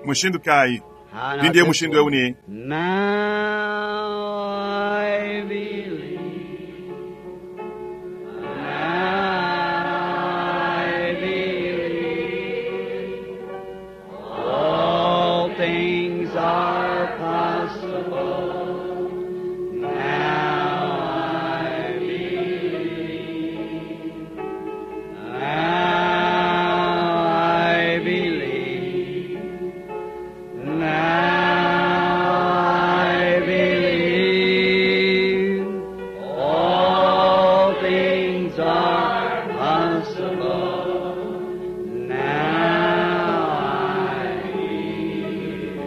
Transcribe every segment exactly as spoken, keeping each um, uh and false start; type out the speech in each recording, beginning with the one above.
Mushindu kayi mpindieu mushindu eu ne Now I believe. Now I believe. All things are possible. Now I believe. Now I believe. Now I believe all things are possible. Now I believe.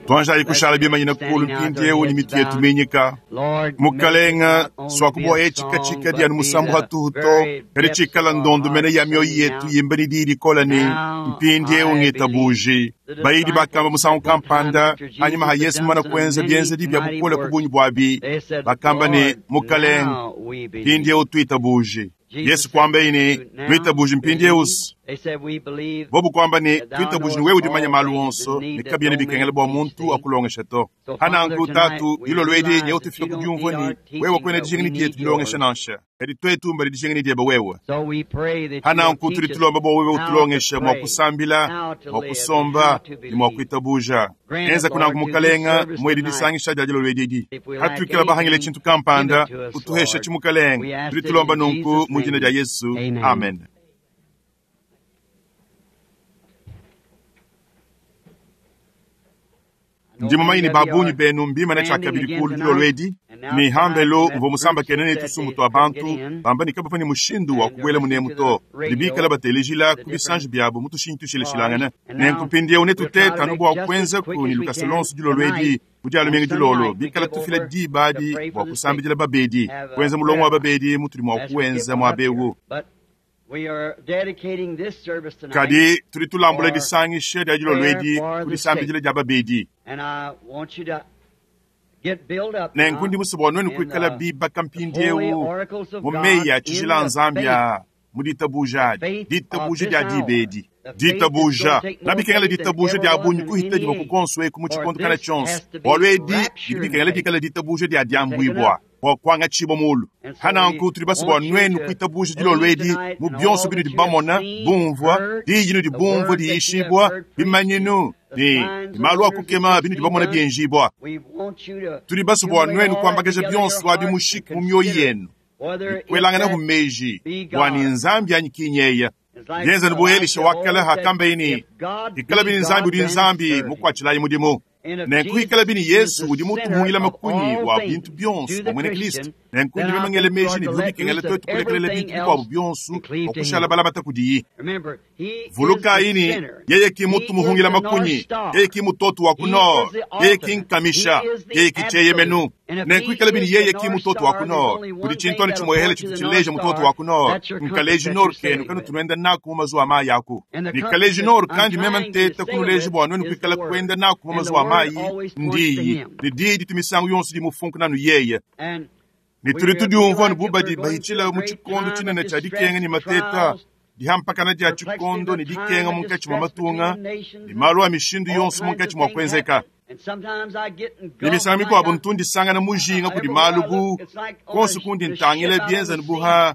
Tuanjayi kushala bimanyina kulu mpindieu ni mitu yetu minyika Lord, mukalenga swakuboya ecikacika dyanu musambu hatuhuto kadi cikala ndondo mene ya mioyo yetu yimba ni dili kola ni mpindieu ngitabuji bayidi bakamba musangu kampanda hanyuma ha yesu mumana kuenza byenzedi bya bukola ku bunyi bwabi bakamba ni mukalenga mpindieu twitabuji yesu kwamba ini twitabuji mpindieu bobu kwamba ni twitabuji ni wewe udimanya malu onso ni kabyene bikengela bwa muntu akulongesha to hananku tatu dilolo edi nyewe tufika ku dyumvua ni wewe kwene dijinga ni dyetu dilongesha nansha kadi twetu mbali dijinga ni dyeba wewe So we pray that you will hananku tuli teach us tulomba bwa wewe how to utulongesha mwa pray, kusambila how to mwa live, and kusomba how to ni mwa believe. kuitabuja Grant it, enza kunanku Lord, to this mukalenga service mwedi tonight. disangisha dya dilolo edi If we lack hatwikila bahangile anything, chintu kampanda give it to us, utuhesha Lord. We chimukalenga ask tuli it tulomba in nunku Jesus' mu jina name. lya yesu Amen. amen. Ndimo mayini babunyi benu mbimana chakabili kulu dilolo edi ni hambelo mvo musamba kenene tusumu twa bantu bamba ni kabafani mushindu wa kubwela munemu to libikala batelejila ku bisanji byabo mutushinyi tushileshilangana nenkupindieu netuteta no bwa kwenza ku ni lukasa lonso dilolo edi mudyalo mingi dilolo bikala tufila diba adi bwa kusambidila babedi kwenza mulongo wa babedi mutuli mwa kuwenza mwa bewu But we are dedicating this service tonight, kadi tuli tulambula disangisha dya dilolo edi ku disambidila dya babedi and I want you to get built up nenku now ndi musobo wa nwenu in kuikala the bibaka holy mpindiewu oracles of mu God meyi a in tshijila the nzambi faith a mu ditabuja adi faith of ditabuja this dya hour. diba edi The faith that's ditabuja going to take more nabikengela faith than ditabuja ever dya was bunyi in kuhita any diba ku age. konso eku mu For tshikondo kana this tshonso has to be bwalu edi bidi raptured bikengela faith. dikala ditabuja dya Taken dyambwibwa up. bwa kwanga tshibwa mulu And so hananku we tuli basi bwa want you nwenu to kuitabuja dilolo believe edi tonight mu in byonso all binudi that you have bamona seen, bumvwa heard, diyi nudi the bumvwa words that you have diyishibwa heard preached, bimanyinu the ni signs and malu wonders that akukema you've binudi seen bamona done. byenjibwa We want you to tuli basi bwa accumulate nwenu all that kwambakeja together in your byonso abi heart and mushiki mu myoyo consider yenu whether if kwelangana ku that meji be bwani God. nzambi anyikinyeya It's like byenza ni buelisha Elisha of wakala old said, hakamba ini if God ikala be bini nzambi God, udi then nzambi serve him. mukwachilayi mudimu And if nenku ikala Jesus bini is yesu the udi center mutuhungila of makunyi all wa things bintu byonso to the bwa mwene kristu Christian, nenku then ndi I bimangele think we meji ought ni to bivu let bikengela loose of twetu kulekelela everything bintu bikwabu else byonso and cleave to okushala him. balamata kudiyi Remember, he is vuluka the ini center. yeye ki He mutu is muhungila the North makunyi Star. yeye ki mutoto wa He ku nord is the yeye ki ultimate. nkamisha He is the yeye ki cheyemenu absolute. And if nenku he ikala bini is the yeye ki North mutoto wa Star, ku there's nord only kuli one thing chintoni that'll chimoyehele point you to chitu the North chileja mutoto Star. wa ku nord That's your compass nkaleji that nord you're kenu sailing kanu with. tunuenda naku mu mazuwa amayi aku And the compass nikaleji that nord I'm kandi mema trying to nteta sail kunuleji with bwa nwenu is the kuikala Word. kwenda naku mu And the mazuwa Word amayi always points to ndiyi Him. ni diyi ditu misangu yonso dimufunku nanu yeye And ni we tuli feel tudiumvua like ni if we're bubadi going through bahichila a mu great chikondo time of chinene cha distress dikenga ni and mateta trials, dihampakana dia perplexity of chikondo a ni time dikenga of munkatshi mwa distress between matunga the nations ni and malu a mishindu all yonso kinds munkatshi of mwa things kuenzeka happen. And sometimes I get ni engulfed misango like mikuabo I, ntundisangana mujinga kudi everywhere malu I bu look, it's like on konso the, kundi the ntangila ship out on bienza the ni sea. buha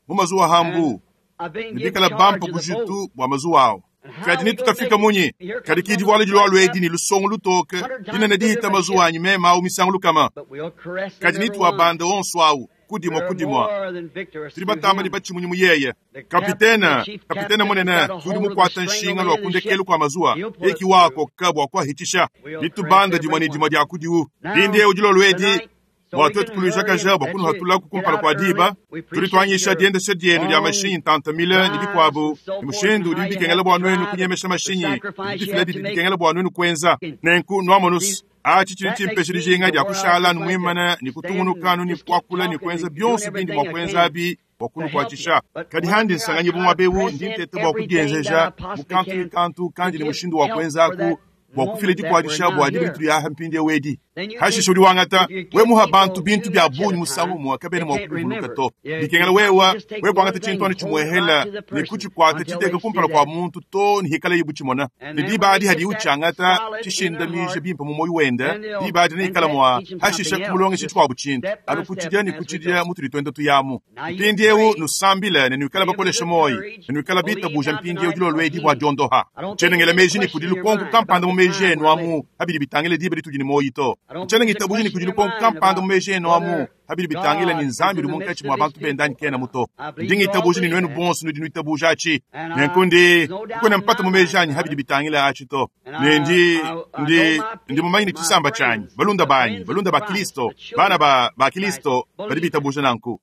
mu mazuwa And hambu I've been given nibikala charge bampa of the boat. bujitu bwa mazuwa awo And how kadi we ni gonna tutafika make it? munyi Here kadi comes one of kidiwala those dilwalo black edi up ni lusongo lutoke hundred dinene times bigger dihita than my mazuwa ship. anyi mema awu misango lukama But we'll caress them kadi ni every one. tuwabanda onso awu kudimwa We're kudimwa more than victors tuli through batamba ni him. bachimunyi muyeye The captain, the kapitena chief kapitena captain has munene got a udi hold of the mukwata string nshinga on the lwa end of the kundekelu ship. kwa mazuwa He'll pull us eki wako through. kabwa kwahitisha We'll caress litubanda dimwa every ni dimwa one. lya kudiwu Now, lindiewu dilolo edi tonight, so bwa we twetu can kuluja hurry kaja and bwa let kunu you hatula get kukumpala out kwa early. diba We tuli appreciate twanyisha your diendesha dyenu lya long mashinyi ntantamile ni drives bikwabu and so ni forth, and mushindu udi how you bikengela have to bwa nwenu drive and kunyemesha the mashinyi sacrifice you bidifila have didi to make. bikengela bwa nwenu kwenza And nenku nwamonusu see, achi chili that makes chimpesha me lijinga to lya where I kushala just like to numwimana ni stand kutungunuka and ni just keep kwakula ni talking kwenza and doing byonso bindi everything mwa I kwenza can abi bwa to help you. kunukwatisha But kadi when I'm handi here, I nsanganye try bumwa to bewu press ndi in ntete bwa everything that kudienzeja I possibly mukantu ni can kantu to kandi ni give mushindu wa help for kwenzaku that bwa kufila moment that we're dikwadisha now bwa here. dibintu lyaha mpindi ewedi Hashishe udi wangata we muha bantu bintu bya bungi musangu umwe kabena mua kubivuluka to. Dikengela wewa we kuangata tshintu anu tshimuehela ne kutshikwata tshiteka kumpala kua muntu to ne hikala yibu tshimona. Ne diba adi hadi utshangata tshishindamije bimpe mu moyo wenda, diba adi neikala mua hashishe kumulongesha tshikuabu tshintu. Anu kutshidia ne kutshidia mutudi tuenda tuyamu. Mpindiewu nusambile ne nuikala bakolesha moyo, ne nuikala bitabuja mpindiewu dilolo edi bua diondoha. Tshiena meji ne kudi lukonko kampanda mu meji enu amu habidi bitangile diba ditudi ne moyo to. Tshiena ngitabuja ne kudi lukonko kampanda mu meji enu amu habidi bitangile ni Nzambi udi munkatshi mua bantu benda anyi kena muto. Ndi ngitabuja ne nuenu bonso nudi nuitabuja atshi. Nenku ndi kukwena mpata mu meji anyi habidi bitangile atshi to. Ne ndi ndi ndi mumanye ne tshisamba tshianyi, balunda banyi, balunda ba Kristo, bana ba ba Kristo badi bitabuja nanku.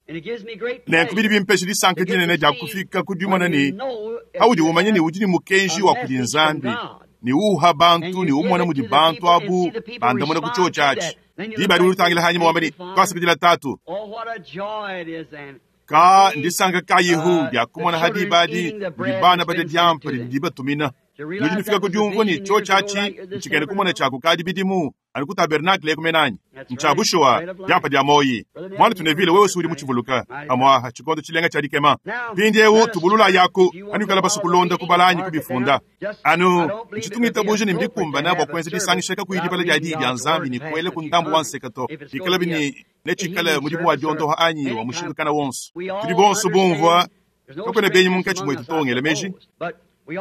Nenku bidi bimpesha disanka dinene dia kufika ku dimona ne haudi umanye ne udi ne mukenji wa kudi Nzambi ne uha bantu ne umona mudi bantu abu bandamuna ku chio tshiatshi. Diba adi ulutangila hanyuma wamba ne twasakidila tatu. Ka ndisanka kayihu dia kumona ha diba adi mudi bana badia diampa didi dibatumina. Nudi nufika ku diumvua ne chio tshiatshi ntshikene kumona tshiaku kadi bidimu anu ku tabernakle kumenanyi. Ntsha bushuwa diampa dia moyi. Mwana tunevile wewe si udi mutshivuluka amwaha tshikondo tshilenga tshia dikema. Mpindiewu tubulula yaku anu ikala basu kulonda kubala anyi kubifunda. Anu ntshitungitabuja ne mbikumbana bua kuenza disangisha kakuyi dibala dia diyi dia Nzambi ne kuela ku ndambu wa nseka to. Bikala bini netshikale mudimu wa diondoha anyi wa mushindu kana wonso. Tudi bonso bumvua kakwena benyi munkatshi mwetu tongela meji.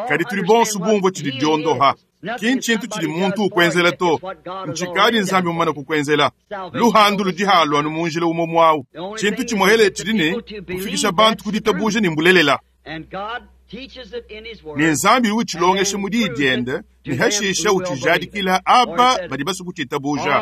Kadi tudi bonso bumvua tshidi diondoha. Ki ntshintu tshidi muntu ukwenzela to. Ntshikadi Nzambi mumane kukwenzela. Luhandu ludi halwa anu mu njila umwe mwawu. Tshintu tshimuhele tshidi ne kufikisha bantu ku ditabuja ne mbulelela. Ne Nzambi utshilongesha mu diyi diende ne hashisha utshijadikila aba badi basu kutshitabuja.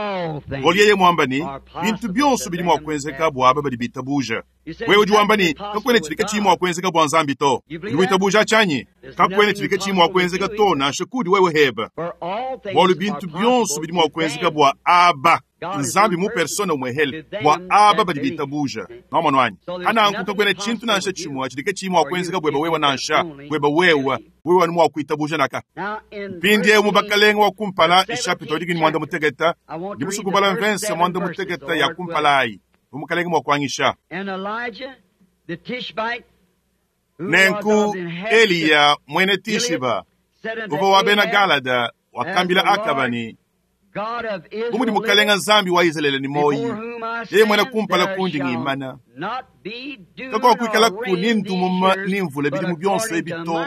Bualu yeye muamba ne bintu bionso bidi mua kuenzeka bua aba badi bitabuja. Wewe udi wamba ne kakwena tshidi katshiyi mua kuenzeka bua Nzambi to. Udi witabuja tshianyi? Kakwena tshidi katshiyi mua kuenzeka to nansha kudi wewe heba. Bualu bintu bionso bidi mua kuenzeka bua aba. Nzambi mu persona umwehele bua aba badi bitabuja. Nomano anyi? Ananku kakwena tshintu nansha tshimwe tshidi katshiyi mua kuenzeka bweba wewe nansha bweba wewe wewe anu mua kuitabuja naka. Mpindiewu mu bakalenga wa kumpala ishapita wadikini mwanda muteketa ndi musukubala mvensa mwanda muteketa ya kumpala ayi umukalenga mua kuangisha. Nenku Eliya mwene Tishiba uvua wa bena Galada wakambila Akaba ne bu mudi mukalenga Nzambi wa Izalele ni moyi yeye mwena kumpala kundi ngimana kakuakuikala kuni ndumuma ni mvula bidimu bionso ebi to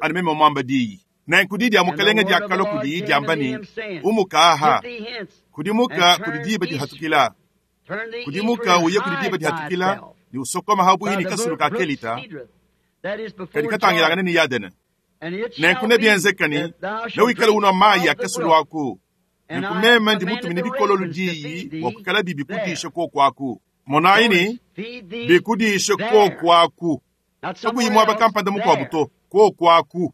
anu meme mwamba diyi. Nenku didi ya mukalenga diakalua kudi diamba ne umuka aha kudimuka kudi diba dihatukila kudimuka uye kudi diba dihatukila ni usokoma habuhi ni kasulu ka kelita kadi katangilangana ni Yadene. Nenku nebienzekani newikale unwa mayi ya kasulu aku. Nenku meme ndi mutumine bikololo diyi bua kuikala bibi kudisha koku aku. Monayi ni bikudishe koku aku. Kakuyi muaba kampanda mukuabu to koku aku.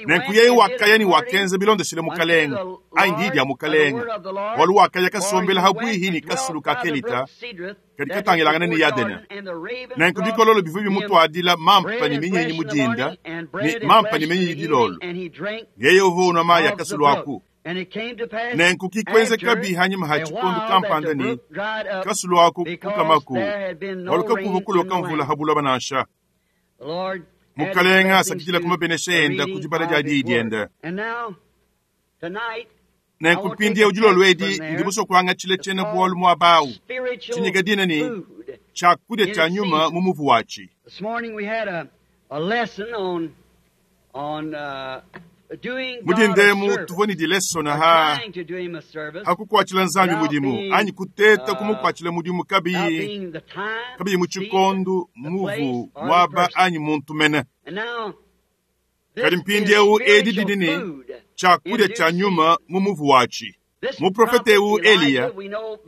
Nenku yeye wakaya ni wakenza bilondeshile mukalenga ayi ndi dia mukalenga. Bualu wakaya kasombela habuihi ni kasulu ka kelita kadi katangilangana ni Yadene. Nenku bikololo bivua bimutuadila mampa ne minyinyi mudinda ne mampa ne minyinyi dilolo. Yeye uvua unwa mayi ya kasulu aku. Nenku kikwenzeka bihanyima ha tshikondo kampanda ne kasulu aku kukamaku bualu kakuva kuloka mvula habuloba nansha. Mukalenga asakidila kumabenesha enda ku dibala dia diyi diende. Nenku mpindiewu dilolo edi ndi musue kuangatshila tshiena bualu muaba awu tshinyika dina ne tshiakudia tshia nyuma mu muvu watshi. Mudindemu tuvua ne dilesona ha hakukuatshila Nzambi mudimu anyi kuteta kumukuatshila mudimu kabiyi kabiyi mu tshikondo muvu muaba anyi muntu mene. Kadi mpindiewu edi didi ne tshiakudia tshia nyuma mu muvu watshi. Muprofete ewu Eliya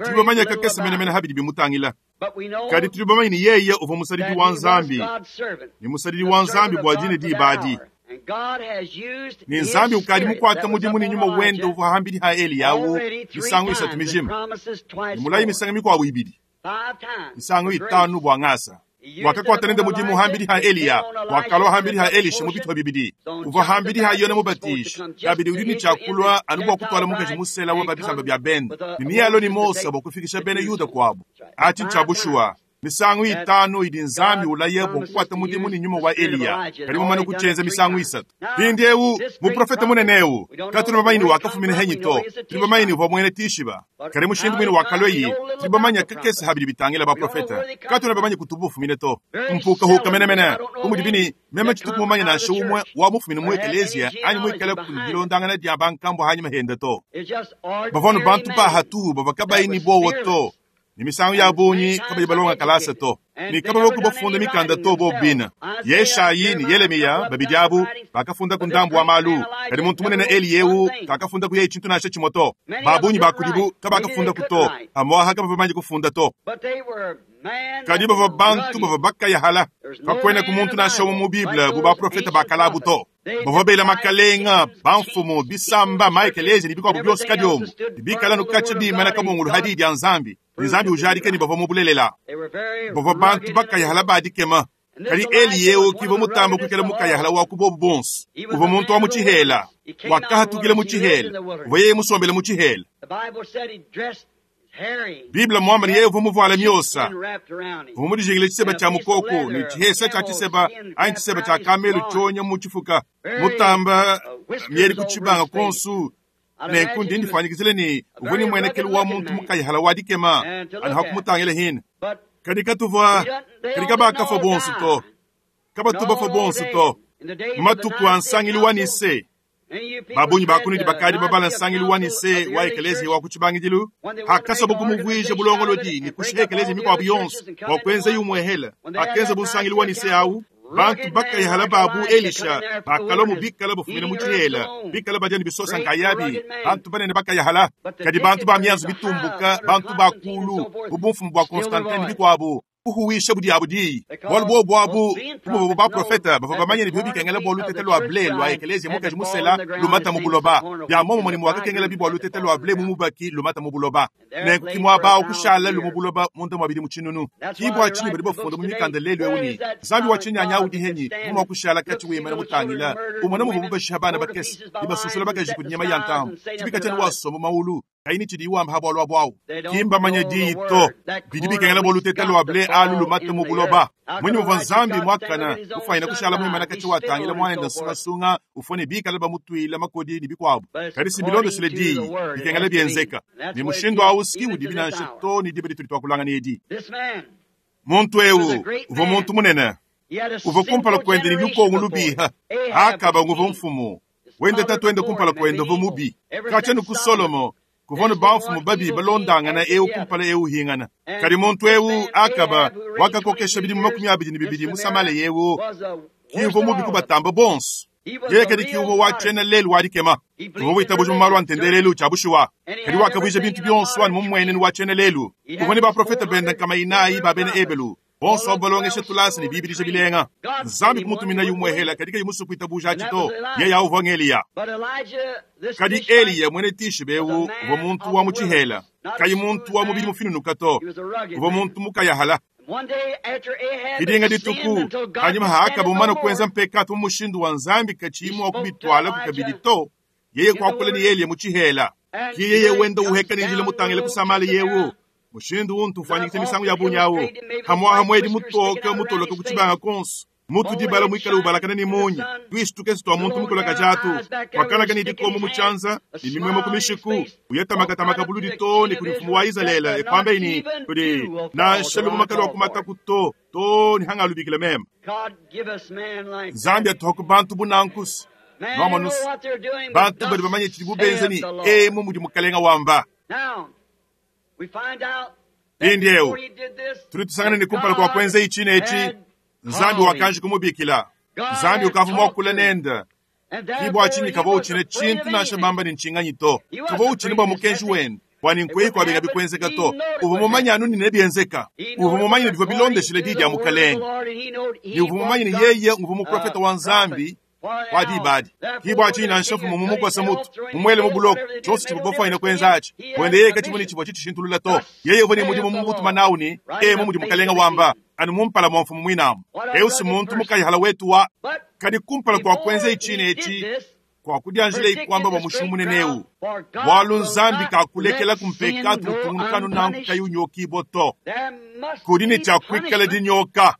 tudi bamanye kakese menemene habidi bimutangila. Kadi tudi bamanye ne yeye uvua musadidi wa Nzambi ne musadidi wa Nzambi bua dine diba adi. Ne Nzambi ukadi mukuata mudimu ne nyuma wende uvua hambidi ha Eliya awu misangu isatu mijima. Ne mulayi misangu mikuabu ibidi. Misangu itanu bua ngasa. Wakakuata nende mudimu hambidi ha Eliya, wakalua hambidi ha Elisha mu bitupa bibidi. Uvua hambidi ha Yone Mubatiji, kabidi udi ne tshiakulua anu bua kutuala mukaji musela wa babisamba bia bende ne mialo ni Mose bua kufikisha bena Yuda kuabu. Achi ntsha bushuwa. Misangu itanu idi Nzambi ulaye bua kukuata mudimu ni nyuma wa Eliya, kadi mumane kutshenza misangu isatu. Mpindiewu muprofeta munene ewu katuna bamanyi ni wakafumina henyi to, tuli bamanyi ni uvua muena Tishiba, kadi mushindu mwine wakalweyi tuli bamanya kakese habidi bitangila baprofeta, katuna bamanyi kutubu ufumine to. Mpukahuka menemene kumudi bini meme tshituku mumanye nansha umwe wa mufumine mu ekelezia anyi muikale kudilondangana dia bankambo hanyima henda to. Bavua nu bantu bahatuhu bavua kabayi ni bowa to. Ni misangu ya bunyi kabayi balonga kalasa to. Ni kaba boku bafunda mikanda to bo bina. Yeshayi ni Yeremiya babidi abu bakafunda ku ndambu wa malu. Kadi muntu munene Eliyewu kakafunda ku yeyi tshintu nansha tshimue to. Babunyi bakudibu kabakafunda ku to. Amwaha kabava kufunda to. Kadi bava bantu bava bakayahala. Kakwena ku muntu nansha umwe mu Bible bu baprofeta bakalabu to. Bavua bela makalenga, bamfumu, bisamba, maekelezi ni bikuabu byonso kadiomu. Bikala nukatsha bimana kabungulu hadi dia Nzambi. Nzambi ujadike ni bavua mubulelela. Bavua bantu bakayahala badikema. Kadi Eliyewu kivua mutamba kuikala mukayahala wa kubobu bonso. Uvua muntu wa mu tshihela, wakahatukila mu tshihela, uvua yeye musombele mu tshihela. Biblia mwamba ni yeye uvua muvuala miosa. Uvua mudijingile tshiseba tshia mukoko ni tshihesa tshia tshiseba anyi tshiseba tshia kamelu tshionya mu tshifuka. Mutamba mieli kutshibanga konsu. Nenku ndi ndifanyikizile ni uvua ni mwenekelu wa muntu mukayahala wa dikema anu hakumutangila hina. Kadi katuvua kadi kabakafa bonso to. Kabatubafa bonso to. Matuku a nsangilu wa Nise. Babunyi bakunidi bakadi babala nsangilu wa Nise wa ekelezia wa kutshibangidilu. Hakasa bukumuvwija bulongolodi ni kushiha ekelezia mikwabu yonso bua kuenza yumwehela. Akenza bunsangilu wa Nise awu. Bantu bakayahala babu Elisha bakalwa mu bikala bufumina mu tshihela bikala badia ni bisosa nkayabi bantu banene bakayahala kadi bantu ba mianzu bitumbuka bantu bakulu bubumfumu bua Constantine bikuabu kuhuwisha budi abu diyi bualu bobu abu kumuvua baprofeta bavua bamanye ne bikengela bua lutete lua ble lua ekelezia mukaji musela lumata mu buloba bia momumue ne muakakengela bi bua lutete lua ble mu mubaki lumata mu buloba nenku kimua kushala lumu buloba munda mua bidi mu tshinunu kibua tshinyi badi bafunda mu mikanda lelu ewu ni Nzambi wa tshinyanya udi henyi mumua kushala kati wimana mutangila umona muvua mubashiha bana bakese ibasusula bakaji ku nyama ya ntambo tshibika tshiani wasomba maulu kaini tshidi iwamba ha bwalwa bwawu kimbamanya diyi to bidi bikengela bua lutete lua ble alu lumata mu buloba mwini muvua Nzambi mwakana ufanyina kushala muimana kati watangila mwanenda nsungasunga ufone bikala bamutwila makodi ni bikuabu kadi si bilondesele diyi bikengela bienzeka ni mushindu awu siki udi binansha to ni diba ditudi twakulangana edi muntu ewu uvua muntu munene uvua kumpala kuende ni lukongo lubiha akaba nguvua mfumu wende tatu kumpala kuende uvua mubi katshia ku Solomo kuvua bamfumu babi balondangana ewu kumpala ewu hingana kadi muntu ewu akaba wakakokesha bidimu makumi abidi ne bibidi musamale yewu kiuvua mubi kubatamba bonso yeye kadi kiuvua watshena lelu wadikema uvua witabuja mu malu a ntendelelu tshia bushuwa kadi wakavuija bintu bionso anu mumuenenu watshena lelu uvua ne baprofeta benda nkama inayi ba bena Ebelu bonso abo balongesha tulasa ne bibidisha bilenga Nzambi kumutumina yumwehela kadi kayi musu kuitabuja atshi to yeye uvua ng'Eliya kadi Eliya mwene Tishibe ewu uvua muntu wa mu tshihela kayi muntu wa mubidi mufinunuka to uvua muntu mukayahala Didinga dituku hanyuma haakaba mumana kuenza mpekatu mu mushindu wa Nzambi katshiyi mua kubitwala ku kabidi to yeye kuakula ni Eliya mu tshihela ki yeye wenda uheka ni njila mutangila kusamala yewu mushindu untu ufanyikisa misangu ya bunyawu hamwaha mwedi mutoka mutoloka kuchibanga konso mutu dibala mwikala ubalakana ni munyi twisi tukesi twa muntu mukolaka tshatu wakalaka ni dikomo mutshanza ni mimwemo kumishiku uyetamakamaka buludi to ni kuli mfumu wa Izalele ekwamba ini kuli nansha lubumakala wa kumataku to to ni hangalubikile mema Nzambi atuhaku bantu bunankusi nomanusi bantu badi bamanye tshidi bubenza ni emu mudi mukalenga wamba Mpindiewu tuli tusangana ni kumpala kwa kwenza ichi nechi Nzambi wakanji kumubikila Nzambi ukavuma wakula nenda kibwa chini kava uchine chintu nansha bamba ni nchinganyi to kava uchine bwa mukenji wenu bwani nkweyi kwabenga bikwenzeka to uva mumanya anu nine bienzeka uva mumanya ni bivua bilondeshele didi ya mukalenge ni uva mumanya ni yeye nguva muprofeta wa Nzambi Kwa dibadi kibwa china nshafu mumumukosa mutu mumwele mubuloko chonse chibobofwa ina kwenzachi wende yeye kachimuni chibwa chitishintulula to yeye uvone mudimu mumutuma nauni emo mudi mukalenga wamba anu mumpala mwa mfumu mwinamu eusi muntu mukayihala wetu wa kadi kumpala kwa kwenza ichine echi kwa kudyanjila ikwamba bwa mushumu muneneu bwalu nzambi kakulekela kumpekatu utungunukanu nanku kayiunyokibo to kudi ni chakwikala dinyoka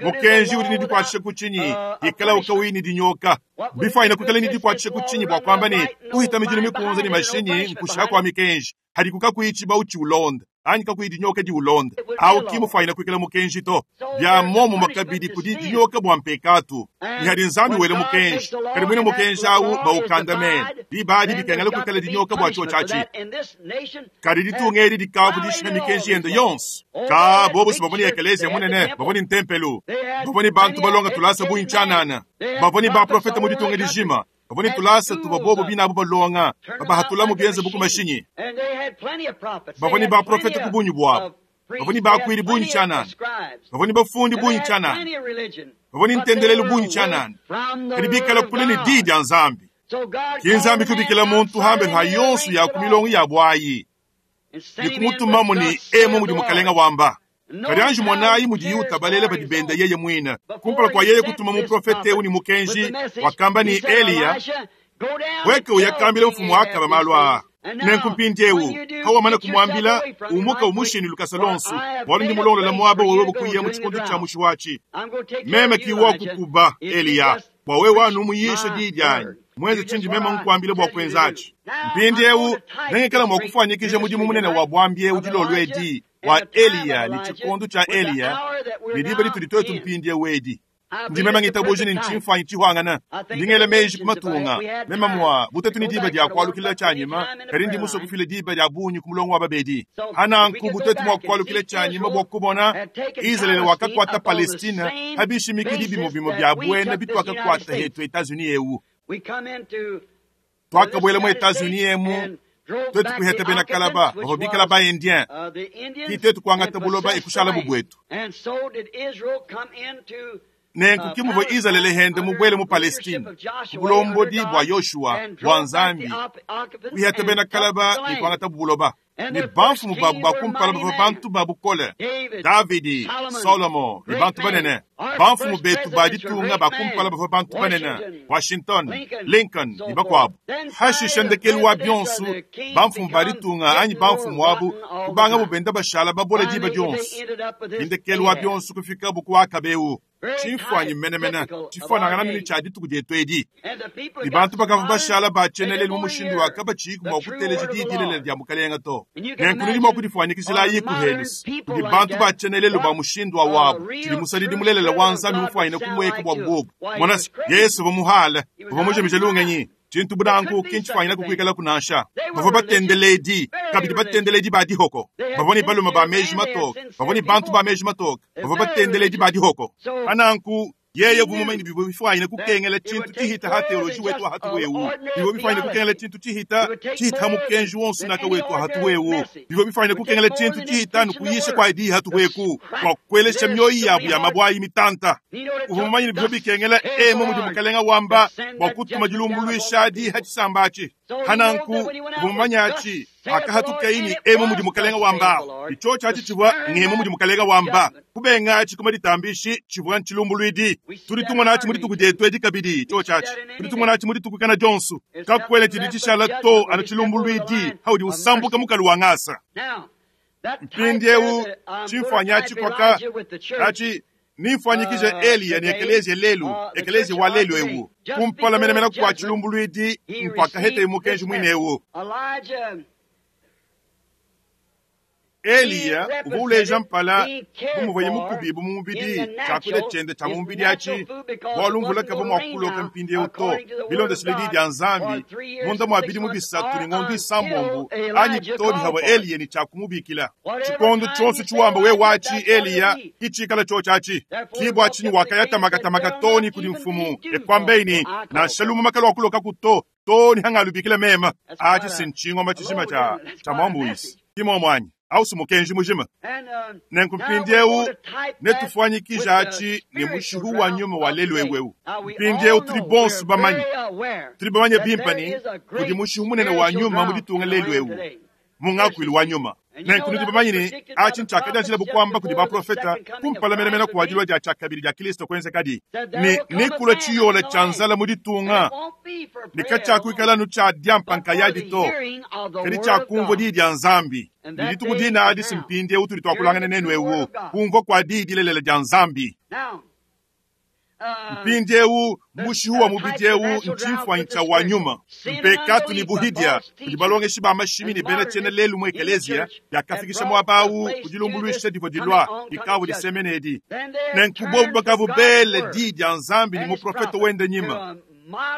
mukenji udi ni dikwatisha kuchinyi ikala ukawini dinyoka bifaina kukala ni dikwatisha kuchinyi bwa kwamba ni uhita mijini mikunza ni mashinyi nkusha kwa mikenji hadi kukakuichiba uchi ulonda anyi kakuyi dinyoka di ulonda au kimufaina kwikala mukenji to bya momo makabidi kudi dinyoka bwa mpekatu ni hadi nzambi wele mukenji kadi mwine mukenji awu baukandamene dibadi dikengela kwikala dinyoka bwa cho chachi kadi ditunga edi dikavu dishina mikenji yende yonso ka bobo si bavoni ekelezia munene bavoni ntempelu bavoni bantu balonga tulasa buyinchanana bavoni baprofeta mu ditunga dijima bavoni tulasa tuba bobo binabu balonga babahatulamu byenze buku mashinyi bavoni baprofeta ku bunyu bwabo bavoni bakwiri bunyu chanana bavoni bafundi bunyu chanana bavoni ntendelelu bunyu chanana kadi bikala kule ni di dia nzambi ki nzambi kubikila muntu hambe ha yonso ya kumilongo ya bwayi nikumutumamu ni emo mudi mukalenga wamba kadi anji mwanayi mudi yuta balele badi benda yeye mwina kumpala kwa yeye kutuma muprofete eu ni mukenji wakamba ni Eliya weke uyakambile mfumu akaba malu aa nenkumpindi eu kawamana kumwambila umuka umushini lukasa lonsu bwalu ndi mulongola mwaba wewe bukuya mu chikondo cha mushiwachi meme kiwa kukuba Eliya bwa wewe wanu muyishe didyanyi mwenze chindi meme nkwambile bwa kwenzachi mpindi eu nengekela mwakufanyikisha mudimu munene wa bwambi eu dilolwedi wa Eliya ni chikondo cha Eliya ni diba lituli twetu mpindi eu edi ndimema ngitabuji ni nchimfanyi chihwangana ndingele meji kumatunga mema mwa butetu ni diba dia kwalukila chanyima kadi ndi muso kufile diba dia bunyu kumulongo wa babedi hananku butetu mwa kwalukila chanyima bwa kubona Israeli wakakwata Palestina habishimiki bimo bimo bya bwene bitu akakwata hetu Etats-Unis eu twakabwele mu Etats-Unis emu twetu kuheta bena kalaba bahobikala ba Indien ki twetu kwangata buloba ikushala bubwetu nenku kimuvo Israeli hende mubwele mu Palestine kubulombodi bwa Yoshua bwa Nzambi kuheta bena kalaba ikwangata buloba ni banfumu babu bakumpala bava bantu babukole Davidi, Solomo ni bantu banene banfumu betu baditunga bakumpala bava bantu banene Washington, Lincoln ni bakwabo hashisha ndekelu wa byonsu banfumu baditunga anyi banfumu wabu kubanga bubenda bashala babola diba dyonsu indekelu wa byonsu kufika buku akabeu chimfwanyi menemene chifanangana mini cha dituku dietu edi ni bantu bakava bashala bacheneleli mu mushindu waka bachiku mwa kuteleja didilele dia mukalenga to nenku nudi mwa kudifwanyikisila yiku helusi kudi bantu bacheneleli ba mushindu wa wabu tshidi musalidi mulelela wa nzambi mufwanyine kumweka bwa bububu monasi Yesu vamuhala vamujemija lungenyi tshintu budanku kinchifwanyina kukwikala kunansha bavua batendeledi kabidi batendeledi ba dihoko bavua ni baluma ba meji matoka bavua ni bantu ba meji matoka bavua batendeledi ba dihoko ananku yeye vumumanyini bivua bifwanyine kukengela tshintu tshihita ha teoloji wetu hatu wewu bivua bifwanyine kukengela tshintu tshihita tshihita mukenji wonsu naka wetu hatu wewu bivua bifwanyine kukengela tshintu tshihita nukuyisha kwa idi hatu weku kwa kukwelesha myoyi yabu ya mabwayi mitanta uvumumanyini bivua bikengela emo mudi mukalenga wamba bwa kutuma dilumbuluisha diha tshisambachi hananku uvumumanyachi akahatukaini emo mudi mukalenga wamba icho chachi chivwa ngemo mudi mukalenga wamba kubengachi kuma ditambishi chivwa nchilumbulwidi tuli tumwanachi mudi tuku dietu edi kabidi icho chachi tuli tumwanachi mudi tuku kana jonsu kakwele chidi chishala to ana chilumbulwidi haudi usambuka mukalu wa ngasa mpindi eu chimfanyachi kwaka achi nimfanyikije Eliya ni ekelezia lelu ekelezia wa lelu ewu kumpala menemene kwa chilumbulwidi mpaka hete mukenji mwine ewu Eliya uva uleja mpala bumuvaye mukubibu mumubidi chakudia chende cha mumubidi achi bwalu mvula kava mwakuloka mpindi eu to bilondesile di dia nzambi munda mwabidi mubisatu ni ng'ondo isambombu anyi todi hawa Eliya ni chakumubikila chikondo chonso chiwamba we wachi Eliya kichikala cho chachi kibwa chinyi wakayatamakamaka toni kuli mfumu ekwambeini na shalumu makalo wakuloka kuto toni hangalubikila mema achi sinchingoma chishima cha cha mwambuisi kimomwanyi Ausi mukenji mujima. Nenku mpindieu netufuanyikije atshi ne mushihu wa nyuma wa lelu eu. Mpindieu tudi bonso bamanye, tudi bamanye bimpe ne kudi mushihu munene wa nyuma mu ditunga lelu eu, mu ngakuilu wa nyuma. Nenku nudi bamanye ne atshi ntshiakadianjila bukwamba kudi baprofeta kumpala menemene kua dilua dia tshiakabidi dia Kristo kuenzekadi ne nekulua tshiyola tshia nzala mu ditunga ne katshiakuikala anu tshia diampa nkayadi to, kadi tshiakumvua diyi dia Nzambi. Ne dituku dina adi si mpindieu tudi tuakulangana nenu eu kumvua kua diyi dilelela dia Nzambi. Mpindieu mushihu wa mubidi eu ntshimfuanyi tshia wa nyuma. Mpekatu ne buhidia kudi balongeshi ba mashimi ne bena tshiena lelu mu ekeleziya biakafikisha muaba awu ku dilumbuluisha divua dilua dikavu disemene edi. Nenku bobu bakavu bele diyi dia Nzambi ne muprofete wende nyima,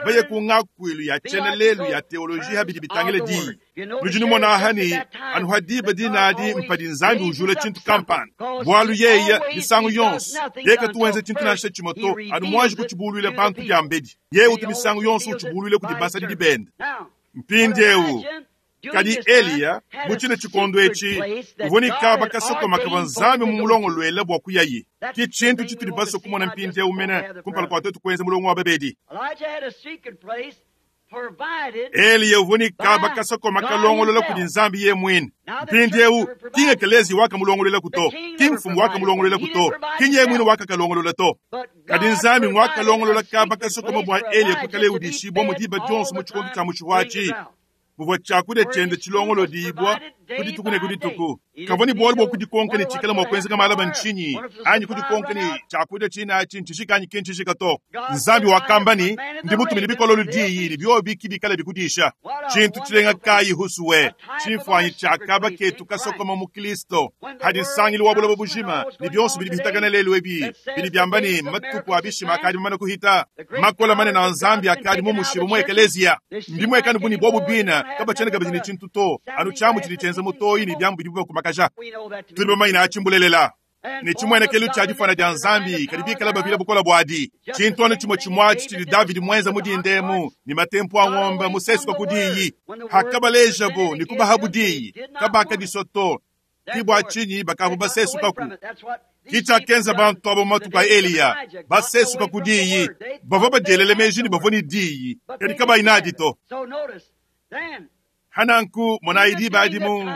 baye ku ngakuilu ya tshiena lelu ya teoloji habidi bitangile diyi. Nudi numona aha ne anu ha diba dina adi mpadi Nzambi ujula tshintu kampanda, bualu yeye misangu yonso yeye tuwenze tshintu nansha tshimue to anu muanji kutshibuluila bantu diambedi. Yeye utu misangu yonso utshibuluile kudi basadidi bende. Mpindieu kadi Eliya mu tshine tshikondo etshi uvua ne kaba kasokoma kavua Nzambi mumulongoluele bua kuyaye. Ki tshintu tshitudi basue kumona mpindieu mene kumpala kua tuetu kuenza mulongo wa babedi. Eliya uvua ne kaba kasokoma kalongolola kudi Nzambi ye muine. Mpindieu ki ekelezi wakamulongoluela to, ki mfumu wakamulongoluela to, ki nye muine wakakalongolola to. Kadi Nzambi wakalongolola kaba kasokoma bua Eliya kuikalaye udishibua mu diba dionso mu tshikondo tshia mushihu atshi. Muvua tshiakudia tshiende tshilongolodibua ku dituku ne ku dituku. Kavua ne bualu bua kudikonka ne tshikala mua kuenzeka malaba ntshinyi, anyi kudikonka ne tshiakudia tshina atshi ntshijika anyi ki ntshijika to. Nzambi wakamba ne ndi mutumine bikololo diyi ne biobi ki bikala bikudisha. Tshintu tshilenga kayi husuwe, tshimfuanyi tshia kaba ketu kasokoma mu Kristo. Hadi nsangilu wa buloba bujima ne bionso bidi bihitakana lelu ebi bidi biamba ne matuku a bishima akadi mamane kuhita, makola manene a Nzambi akadi mu mushibu mu ekeleziya. Mbimuekane bu ne bobu bina kabatshiena kabidi ne tshintu to, anu tshiamu tshidi tshienza mutoyi ne biamu bidibu bakumakaja. Tudi bamanye ne atshi mbulelela ne tshimuenekelu tshia difana dia Nzambi kadi bikala bavila bukola buadi. Tshintu anu tshimue tshimue atshi tshidi Davidi muenza mu dindemu ne matempu a ng'ombe musesuka ku diyi. Hakabalejabo ne kubahabu diyi, kabakadisua to, ki bua tshinyi bakavua basesukaku. Ki tshiakenza bantu abo matuku a Eliya, basesuka ku diyi. Bavua badielele meji ne bavua ne diyi, kadi kabayi nadi to. Hananku monayi diba adi mu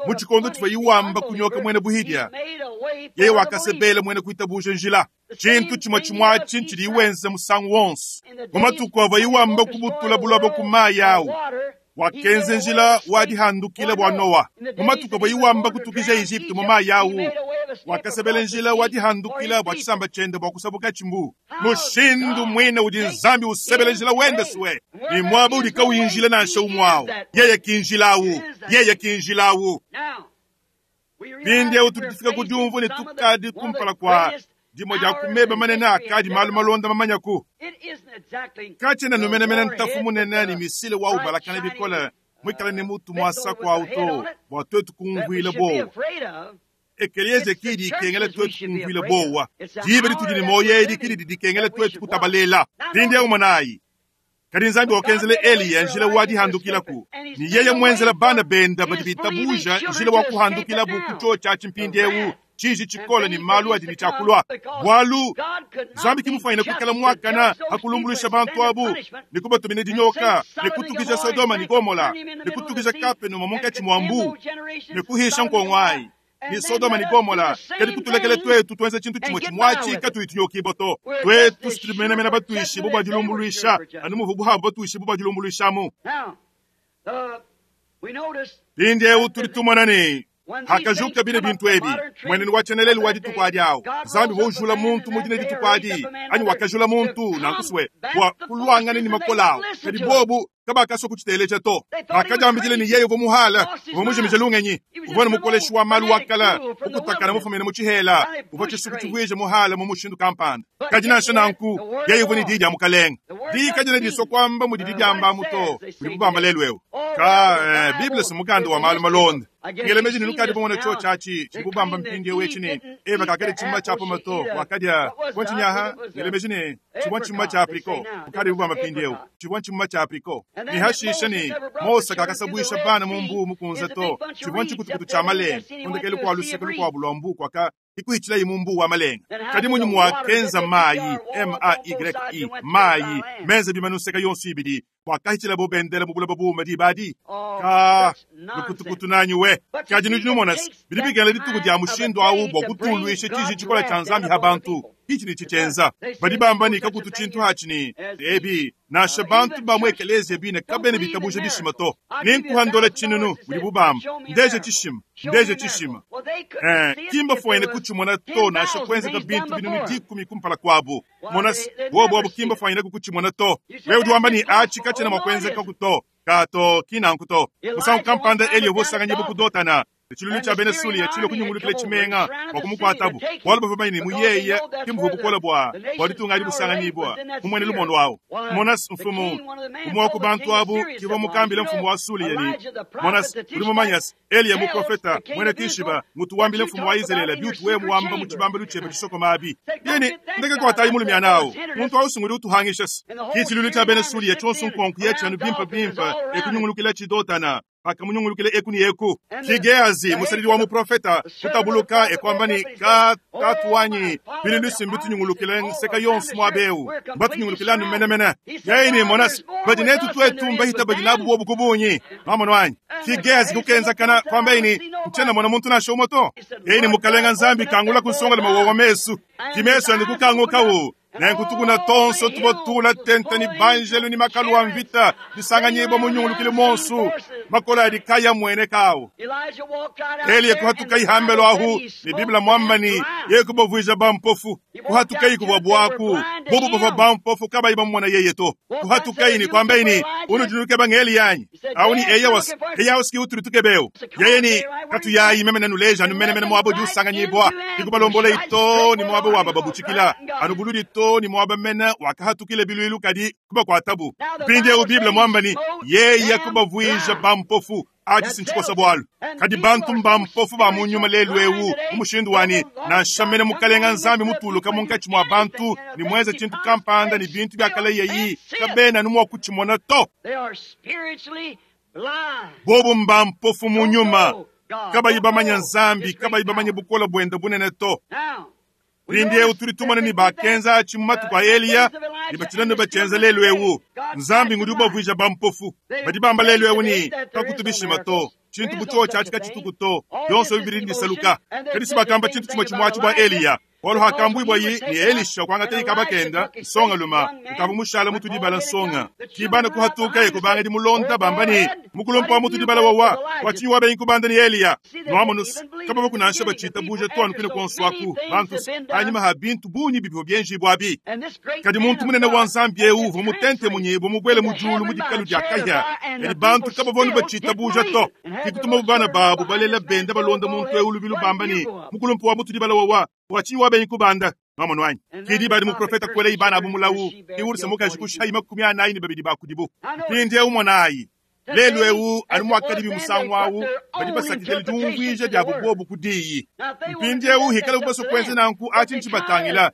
mu tshikondo tshivua iwamba kunyoka muena buhidia, yeye wakasebela muena kuitabuja njila. Tshintu tshimue tshimue atshi ntshidi iwenza musangu wonso. Mu matuku avua iwamba kubutula buloba ku mayi awu, wakenza njila wa dihandukila bua Noa. Mu matuku avua iwamba kutukija Egypte mu mayi awu, wakasebela njila wa dihandukila bua tshisamba tshiende bua kusabuka tshimbu. Mushindu muine udi Nzambi usebela njila wende suwe ne muaba udi kauyi njila nansha umue awu, yeye ki njila awu, yeye ki njila awu. Mpindieu tudi tufika ku diumvua ne tukadi kumpala kua dimue dia ku meba manene akadi malu malonda mamanyaku. Katshiena numenemene ntafu munene ne misile wa ubalakana bikole muikale ne mutu muasa kuawu to bua tuetu kumvuila bowa. Ekelezia kidi ikengela tuetu kumvuila bowa. Diba ditudi ne moyo edi kidi didikengela tuetu kutabalela. Mpindieu monayi, kadi Nzambi wakenzela Eliya njila wa dihandukilaku, ne yeye muenzela bana benda badi bitabuja njila wa kuhandukilabu ku chio tshiatshi mpindieu tshiji tshikole ne malu adi ne tshiakulua. Bualu Nzambi kimufanyine kuikala muakana hakulumbuluisha bantu abu ne kubatumina dinyoka ne kutukija Sodoma ne Gomola ne kutukija Kapenuma munkatshi mua mbu ne kuhisha nkongo ayi ne Sodoma ne Gomola. Kadi kutulekele twetu tuenze tshintu tshimue tshimue atshi katuyi tunyokibo to. Twetu situmenemene batuishi bo bua dilumbuluisha anu muvu buhabu batuishi bo bua dilumbuluishamu. Mpindieu tudi tumona ne hakajuka bine bintu ebi mwenenu wa tshienelelu wa dituku adi awu Nzambi waujula muntu mu dine dituku adi anyi wakajula muntu nankusue bua kuluangana ne makola awu, kadi bobu kabakasua kutshiteleja to. Bakadiambidile ne yeye uvua muhala uvua mujimije lungenyi, uvua ne mukoleshi wa malu wakala ukutakana mufumine mu tshihela, uvua tshisuku tshivuije muhala mu mushindu kampanda. Kadi nansha nanku yeye uvua ne diyi dia mukalenga. Diyi kadina disua kuamba mudidi diambamu to budi bubamba lelu eu ka eh, Bible si mukanda wa malu malonda. Ngele meji ne lukadi bamona chio tshiatshi tshidi bubamba mpindieu etshi ne Eva kakadi tshimuma tshia pomato wakadia bua tshinyi aha. Ngele meji ne tshivua tshimuma tshia apricot bukadi bubamba mpindieu tshivua tshimuma tshia apricot. Ne hashisha ne Mose kakasabwisha bana mu mbu mukunze to tshivua ntshikutukutu tshia malenga kundekelu kua luseke lukuabu lua mbu kwaka ikuhichilayi mu mbu wa malenga kadi munyi mwakenza mayi M A Y I mayi menze bimanu nseka yonso ibidi bwakahichilabo bendela mu bulaba buma dibadi ka lukutukutu nanyi we kadi nudi numona bidi bikengela dituku dia mushindu awu bua kutulwisha tshiji tshikola tshia nzambi ha bantu ichi ni chichenza badi bamba ni kakutu chintu hachi ebi nasha bantu ba mu ekelezia bine kabene bitabusha bishima to ninkuhandola chinunu budi bubamba ndeje chishima ndeje chishima eh kimba foene kuchimona to nasha kwenzeka bintu binunu dikumi kumpala kwabu mona bobo abo kimba foene kukuchimona to wewe udi wamba ni achi kachena mwakwenzeka kuto kato kinankuto musangu kampanda eliyo bosanganye bukudotana chilulu cha bene sulia chilo kunyungulukile chimenga wakumukwatabu bwalu bava bayini muyeye kimvu bukola bwa bwalitunga ali busanganyibwa mumwene lumondo wawo monas mfumu umwe ku bantu abu kiva mukambile mfumu wa sulia ni monas uli mumanyasi eliya muprofeta mwene kishiba mutuwambile mfumu wa Israeli byutu we muwamba mu chibambelo chebe chisokoma abi yeni ndeke kwatayi mulumya nawo muntu awusunguli utuhangishasi kichilulu cha bene sulia chonso nkonku yechanu bimpa bimpa ekunyungulukile chidotana pakamunyungulukile eku ni eku kigeazi musalili wa muprofeta kutabuluka ekwamba ni ka tatuwanyi bili lusimbi tunyungulukile nseka yonso mwabeu mbatunyungulukile anu menemene yaini monasi badi netu twetu mbahita badi nabu bobu kubunyi mamono wanyi kigeazi kukenza kana kwamba ini mchena mwana muntu nasho moto yaini mukalenga nzambi kangula kunsonga mawowa mesu kimeso andi kukangukawu nenkutukuna tonso tubotula tente ni banjelu ni makalu wa mvita bisanganyibwa munyungulukile monsu makola adi kaya mwene kawo eliya kuhatuka ihambelo ahu ni biblia mwambani ye kubavwija bampofu kuhatuka ikubwa bwaku bubu bava bampofu kabayi bamumona yeye to kuhatuka ini kwamba ini unujunuke bangeli yanyi au ni eya was eya usiki uturituke beu yeye ni katuyayi meme nanuleja anu mene mene mwabo jusanganyibwa ikubalombola ito ni mwabo waba babuchikila anubuludi to ni mwaba mene wakahatukile bilwilu kadi kubakwatabu mpindiewu biblia mwambani yeye kubavwija bampofu achi sinchikosa bwalu kadi bantu mbampofu ba munyuma lelu ewu umushindu wani nansha mene mukalenga nzambi mutuluka munkatshi mwa bantu ni mweze chintu kampanda ni bintu byakala yeyi kabena numwa kuchimona to bobu mbampofu munyuma kabayi bamanya nzambi kabayi bamanya bukola bwenda bunene to mpindiewu tuli tumone ni bakenza achi mu matuku a Eliya ni bachilano bachenza lelu ewu nzambi ngudi ubavwija bampofu badi bamba lelu ewu ni kakutubishima to chintu bucho chachi kachituku to yonso bibiri ndisaluka kadi sibakamba chintu chimwe chimwachi bwa Eliya walo hakambwibwa yi ni Elisha kwanga tei kabakenda nsonga luma ukava mushala mutu dibala nsonga kibana kuhatuka ekubanga di mulonda bamba ni mukulompa wa mutu dibala wawa wachinyi wabenyi kubanda ni Eliya nwamonus kaba bakunansha bachita buja twanu kwine konswaku bantu anyima ha bintu bunyi bibyo byenji bwabi kadi muntu munene wa nzambi ewu uva mutente munyibo mubwele mujulu mudikalu dya kahya edi bantu kaba bonu bachita buja to kikutuma bana babu balela benda balonda muntu ewu lubilu bamba ni mukulompa wa mutu dibala wawa wachinyi wabenyi kubanda mamono wanyi kidi badi muprofeta kwele ibana abu mulawu iwulisa mukaji kushayi makumi anayi ni babidi bakudibu mpindi ewu monayi lelu ewu ali mwakadi bimusangu awu badi basakidile diumvwija diabu bobu kudiyi mpindi ewu hikala bubaso kwenze nanku achi nchibatangila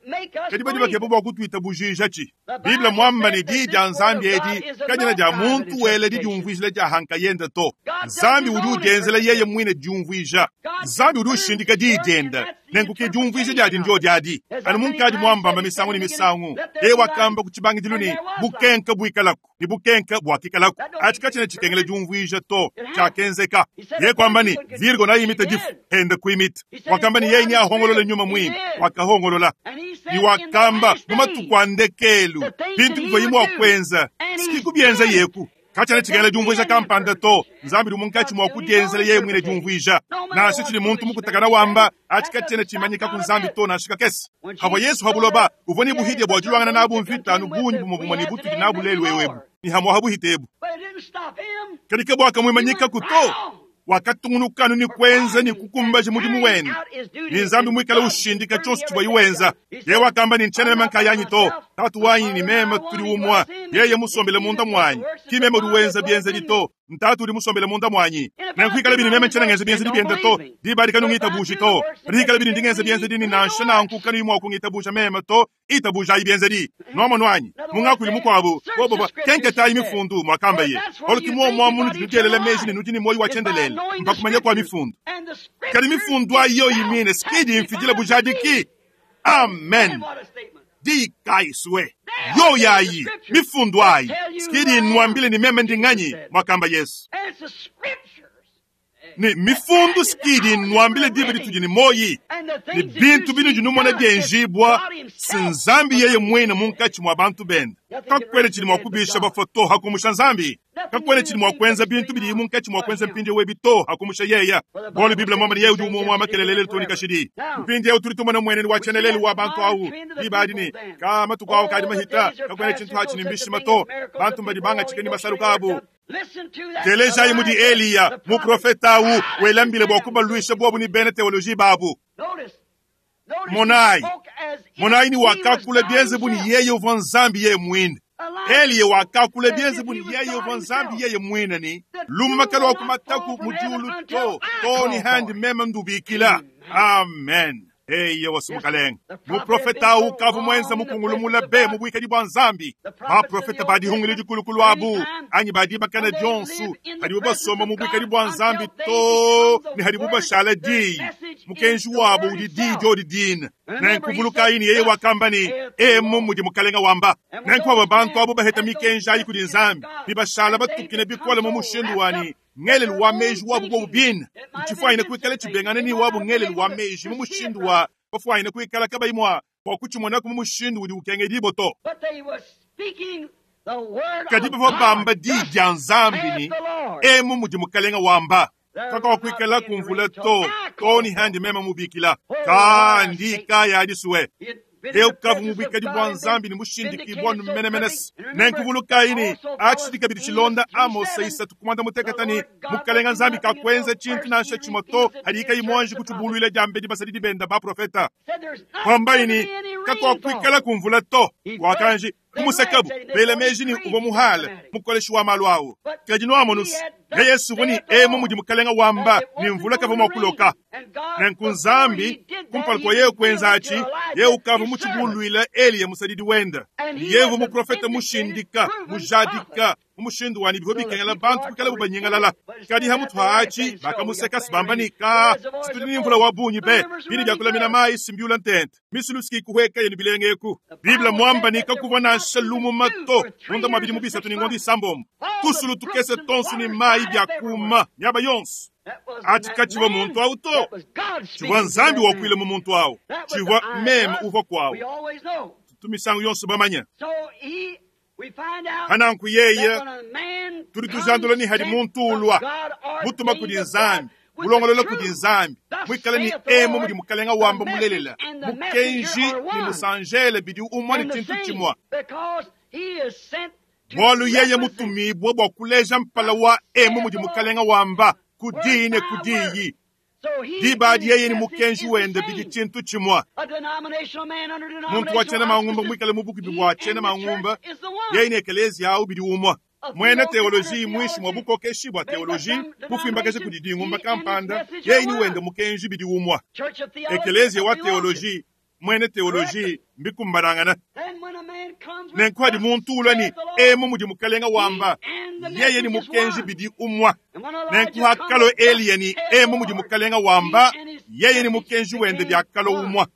kadi badi bakeba bua kutwita bujija chi biblia mwamba ni di dia nzambi edi kanyana dia muntu wele di diumvwijila dia hanka yenda to nzambi udi udienzela yeye mwine diumvwija nzambi udi ushindika di dienda nenkuke diumvwija diadi ndio diadi anu munkadi mwambamba misangu ni misangu eye wakamba kuchibangidilu ni bukenka buikalaku ni bukenka bwakikalaku achi kachina chikengele diumvwija to chakenzeka ye kwamba ni virgo nayimita difu enda kuimita wakamba ni yeye ni ahongolola nyuma mwini wakahongolola ni wakamba mumatuku andekelu bintu bivyo yimwe wakwenza sikikubyenza yeku kachana chikengele diumvwija kampanda to nzambi uli munkatshi mwa kudienzela yeye mwine diumvwija nansha chili muntu mukutakana wamba achi kachena chimanyika ku nzambi to nansha kakese habwa yesu habuloba uvua ni buhidya bwa dilwangana nabu mvita bunyi bumwe bumwe ni butudi nabu lelu ewebu ni hamwa habuhitebu kadi ke bwaka mwimanyika kuto wakatungunukanu ni kwenza ni kukumbaja mudimu wenu ni nzambi mwikala ushindika chonso chibwa iwenza ye wakamba ni nchenele mankayanyi to Tatu wanyi ni meme tudi umwa. Yeye musombele munda mwanyi. Ki meme udi wenza bienzedi to. Ntatu udi musombele munda mwanyi. Nenku bini meme nchena ngenza bienzedi biende to. Diba adi kanungitabuji to. Rikala bini ndingenza bienzedi ni nansha nanku kanu imwa kungitabuja meme to. Itabuja ibienzedi. Nomo nwanyi. Mungakwili mukwabo. Bobo kenketayi mifundu mwakamba ye. Oluki mwo mwa munu tutelele meji ni nudi ni moyo wa chendelele. Mpakumanya kwa mifundu. Kadi mifundu ayo yimine skidi mfijile bujadiki. Amen. Dikaiswe. Yo yayi mifundu ayi skidi nwambile ni meme ndinganyi mwakamba Yesu. Ni mifundu skidi nwambile dibe ditudi ni moyi. Ni bintu binu junumona byenjibwa sinzambi yeye mwene munkachi mwa bantu bende. Kakwele chili mwa kubisha bafoto hakumusha nzambi. Kakwele chili mwa kwenza bintu bili munkachi mwa kwenza mpindi webi to hakumusha yeya. Bolu Biblia mwamba ni yewe ujumu mwa makelelele tuni kashidi. Mpindi yewe tulitumana na mwene ni wachenelele wa bantu au. Ibadini kama tukwao kadi mahita kakwele chintu hachi ni mbishi mato. Bantu mbadibanga chikeni masalukabu. Teleja imudi Eliya muprofeta au welambile bwa kubalwisha bwabu ni bene teoloji babu. Monai Monai ni wakakule bienzebu ni yeye uva nzambi yeye mwine. Eliya wakakule bienzebu ni yeye uva nzambi yeye mwine ni lumakalo wa kumataku mujulu to to ni handi meme ndubikila. Amen. Eye wasumukalenga muprofeta ukavu mwenza mukungulumula be mubwikadi bwa nzambi baprofeta badihungile dikulukulu abu anyi badibakana dionsu hadibu basoma mubwikadi bwa nzambi to ni hadibu bashala diyi mukenji wabo udi diyi diodidina nenkuvuluka ini yeye wakamba ni emu mudi mukalenga wamba nenkuaba bantu abo baheta mikenji ayi kudi nzambi bibashala batukine bikola mu mushindu wani ngelelu wa meji wabu bwobu bina nchifwayine kuikala chibengana ni wabu ngelelu wa meji mu mushindu wa bafwayine kuikala kabayimwa kwa kuchimonaku mu mushindu udi ukengedibo to kadi bava bamba diyi dia nzambi ni emu mudi mukalenga wamba kaka wakuikala kumvula to toni handi meme mubikila kandi kaya adisuwe eu kavu mubikadi bwa nzambi ni mushindiki bwanu menemenesi nenkuvulukaini achitika bidi chilonda Amose isatu kumanda muteketani mukalenga nzambi kakwenza chintu nansha chimwe to hadika imwanji kutubuluile jambe basadidi benda baprofeta kwambaini kakwakwikala kumvula to wakanji kumusekabu bela meji ni uva muhala mukoleshi wa malu awo kadi noamonusi ya Yesu vuni emu mudi mukalenga wamba ni mvula kava mwakuloka nenku nzambi kumpala kwa yewe kwenza achi yewe ukava muchibuluila Eliya musadidi wenda yevu muprofeta mushindika mujadika mumushindu wani biho bikengela bantu kukala bubanyengalala kadi hamutu haachi bakamuseka sibambanika situli ni mvula wa bunyi be bini byakulamina mayi simbiula ntente misuluski kuhweka yenu bilengeku Biblia mwamba ni kakuva nansha lumu mato munda mabidi mubisatu ni ngondi isambombo tusulu tukese tonsu ni mayi byakuma nyaba yonso ati kachiva muntu awu to chivwa nzambi wakwile mu muntu awu chivwa meme uva kwawu tumisango yonso bamanya hananku yeye tuli tujandula ni hadi muntu ulwa mutuma kudi nzambi mulongolola kudi nzambi mwikala ni emu mudi mukalenga wamba mulelela mukenji ni musanjele bidi umwa ni chintu chimwa bwalu yeye mutumibwa bwa kuleja mpala wa emu mudi mukalenga wamba kudiyi ne kudiyi dibadi yeye ni mukenji wende bidi chintu chimwa muntu wachena mangumba mwikale mubukubi bwa chena mangumba yeye ni ekelezia awu bidi umwa mwene teoloji mwishi mwa bukokeshi bwa teoloji bufimbakeshe kudi dingumba kampanda yeye ni wende mukenji bidi umwa ekelezia wa teoloji mwene teoloji mbikumbanangana nenkwadi muntu ulwa ni emu mudi mukalenga wamba yeye ni mukenji bidi umwa nenkuhakalo Eliya ni emu mudi mukalenga wamba yeye ni mukenji wende byakalo umwa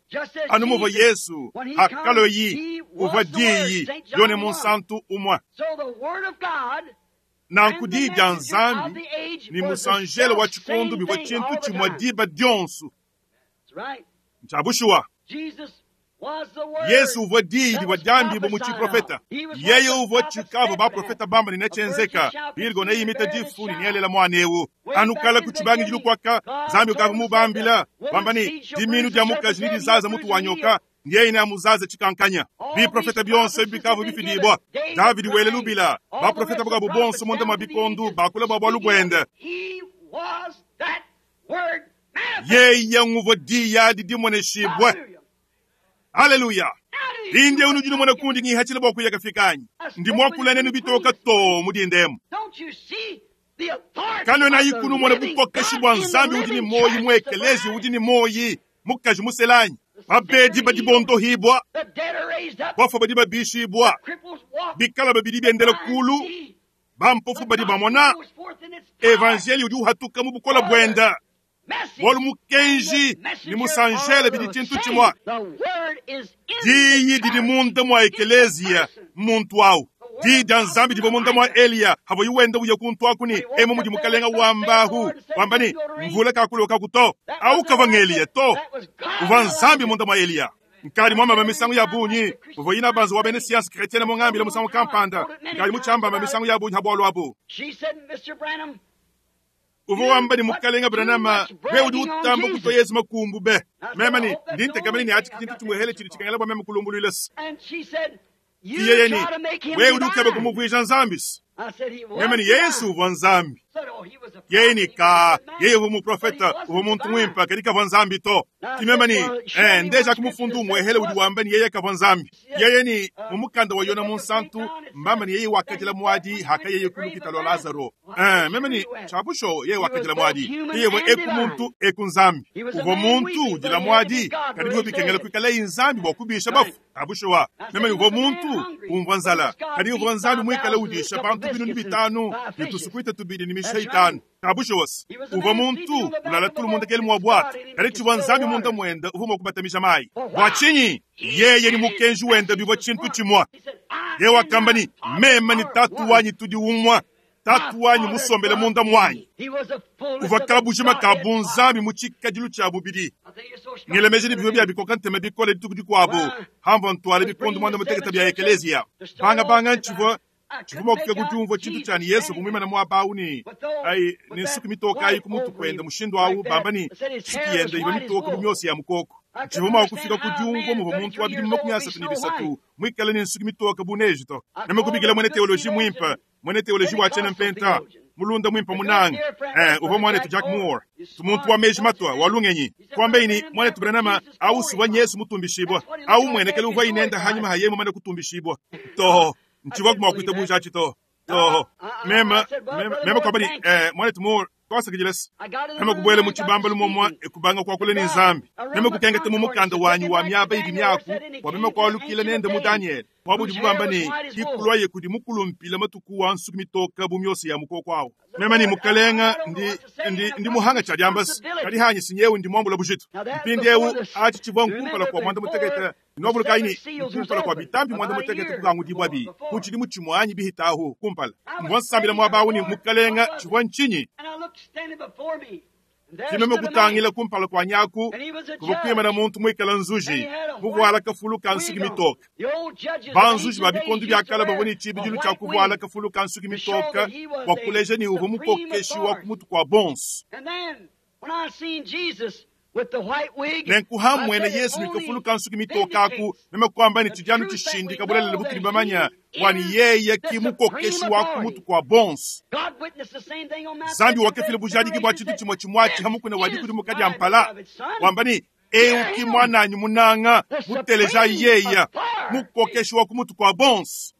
anu muvo Yesu hakalo yi uva diyi yone munsantu umwa nanku diyi dia nzambi ni musanjele wa chikundu bivwa chintu chimwa diba dionsu nchabushuwa Yesu uvwa diyi divwa dyambibo mu chiprofeta yeye uvwa chikavo baprofeta bamba ninechenzeka bilgo neyimita difu ninielela mwana ewu anukala kuchibangi lukwaka zambi ukava mubambila bamba ni diminu dya mukaji ni dizaza mutu wanyoka ndiye ine amuzaza chikankanya biprofeta byonse bikavo bifidibwa Davidi wele lubila baprofeta bukabo bonso munda mabikondu bakula bwa lubwende yeye nguvwa diyi adi dimoneshibwe Haleluya! Mpindieu nudi numona kundi ngihachila bua kuya kafikanyi ndi muakula nenu bitoka to mudindemu kanwena ikunu mona bukokeshi bua nzambi udi ni moyi muekelezi udi ni moyi mukaji muselanyi babedi badi bondohibwa bafa badi babishibwa bikala babidi biendela kulu bampofu badi bamona evanjeli udi uhatuka mu bukola bwenda bwalu mukenji ni musanjele bidi tshintu tshimwa diyi didi munda mwa ekeleziya muntu awu diyi dia nzambi divua munda mwa eliya havo iwenda uya kuntu akuni emu mudi mukalenga wambahu wamba ni mvula kakulokaku to awu kava ng'eliya to uvua nzambi munda mwa eliya nkali mwambamba misangu ya bunyi uvua yina banzu wa bene science chrétienne mongambila musangu kampanda nkali mutshiambamba misangu ya bunyi habwalu abu uvua wamba ni mukalenga Branham we udi utamba kutoa Yesu makumbu be mema ni ndi ntekamene ni ati tshintu tshimuhele tshidi tshikangela bua meme kulumbuluilasi iyeye ni we udi ukeba kumuvuija nzambi meme ni Yesu uvua nzambi yeye ni ka yeye uvua muprofeta uvua muntu mwimpa kadi kavua nzambi to timema ni eh, ndeja kumufundu umuehele udi wamba ni yeye kavua nzambi yeye ni mumukanda wa Yona munsantu mbamba ni yeye wakajila mwadi haka yeye kulukita lwa Lazaro eh, meme ni chabusho yeye wakajila mwadi yeye uvua eku muntu eku nzambi uvua muntu udila mwadi kadi bivua bikengela kuikala nzambi bua kubisha bafu abusho wa meme ni uvua muntu umvua nzala kadi uvua nzambi muikale udisha bantu binunu bitanu bitusukuita tubidi ni misha itanu kabusho wasi uvua muntu ulala tulu munda kele mwa bwatu kadi tshivua nzambi munda mwenda uvua mua kubatamisha mayi bua tshinyi yeye ni mukenji wenda bivua tshintu tshimwa ye wakamba ni mema ni tatu wanyi tudi umwa tatu wanyi musombele munda mwanyi uvua kabujima ka bunzambi mu tshikadilu tshia bubidi ngelemeje ni bivua bia bikoka ntema bikole dituku dikuabu hamvua ntwale bikondo mwanda muteketa bia ekeleziya bangabanga ntshivua tshivua mua kufika kudiumvua tshintu tshia ni yesu bumwimana muaba awu ni ai ni nsuku mitoka ayi kumutu kwenda mushindu awu bamba ni nsuku yenda iva mitoka bu miosi ya mukoko tshivua mua kufika kudiumvua muvua muntu wa bidimu makumi asatu ni bisatu muikale ni nsuku mitoka bu neji to meme kubikila mwene teoloji mwimpa mwene teoloji wa tshiena mpenta mulunda mwimpa munanga eh, uvua mwanetu Jack Moore tumuntu wa meji matwa wa lungenyi kwambeini mwanetu Branham au suwa nyesu mutumbishibwa au mwenekele uvua inenda hanyuma haye mumane kutumbishibwa to nchivua kumwa kuita buja to to mema mema mema kwamba ni eh, mwanetu Moore twasakijilesi meme kubwele mu tshibamba lumomwa ekubanga kwakule ni nzambi meme kukengete mu mukanda wanyi wa miaba idi miaku wa meme kwalukile nende mu Daniel mwabudi bubamba ni ikulwaye kudi mukulumpila matuku wa nsuku mitoka bu miosi ya mukoko awu meme ni mukalenga ndi, ndi, ndi muhanga tshia diambasi kadi hanyi sinyewu ndi mwambula bujitu mpindiewu achi tshivua nkumpala kwa mwanda mutekete nobulukayi ni nkumpala kwa bitambi mwanda mutekete kukangudibwa bi kuchidi mutshimwa anyi bihitahu kumpala mvua nsambila mwaba awu ni mukalenga tshivua ntshinyi kimeme kutangila kumpala kwa nyaku kuvua kuimana muntu muikala nzuji muvuala kafulu ka nsuki mitoka banzuji ba bikondo bia kala bavua ne tshibidilu tshia kuvuala kafulu ka nsuki mitoka bua kuleja ni uvua mukokeshi wa kumutu kua bonso nenkuhamwene yesu ni kafulu ka nsuki mitoka aku meme kuamba ni tshidianu tshishindika bulelele butudi bamanya wani yeye ki mukokeshi wa kumutu kua bonso zambi wakefile bujadiki bua tshintu tshimue tshimue hamukuna wa dikudimuka dia mpala wamba ni eu ki mwananyi munanga muteleja yeya mukokeshi wa kumutu kua bonso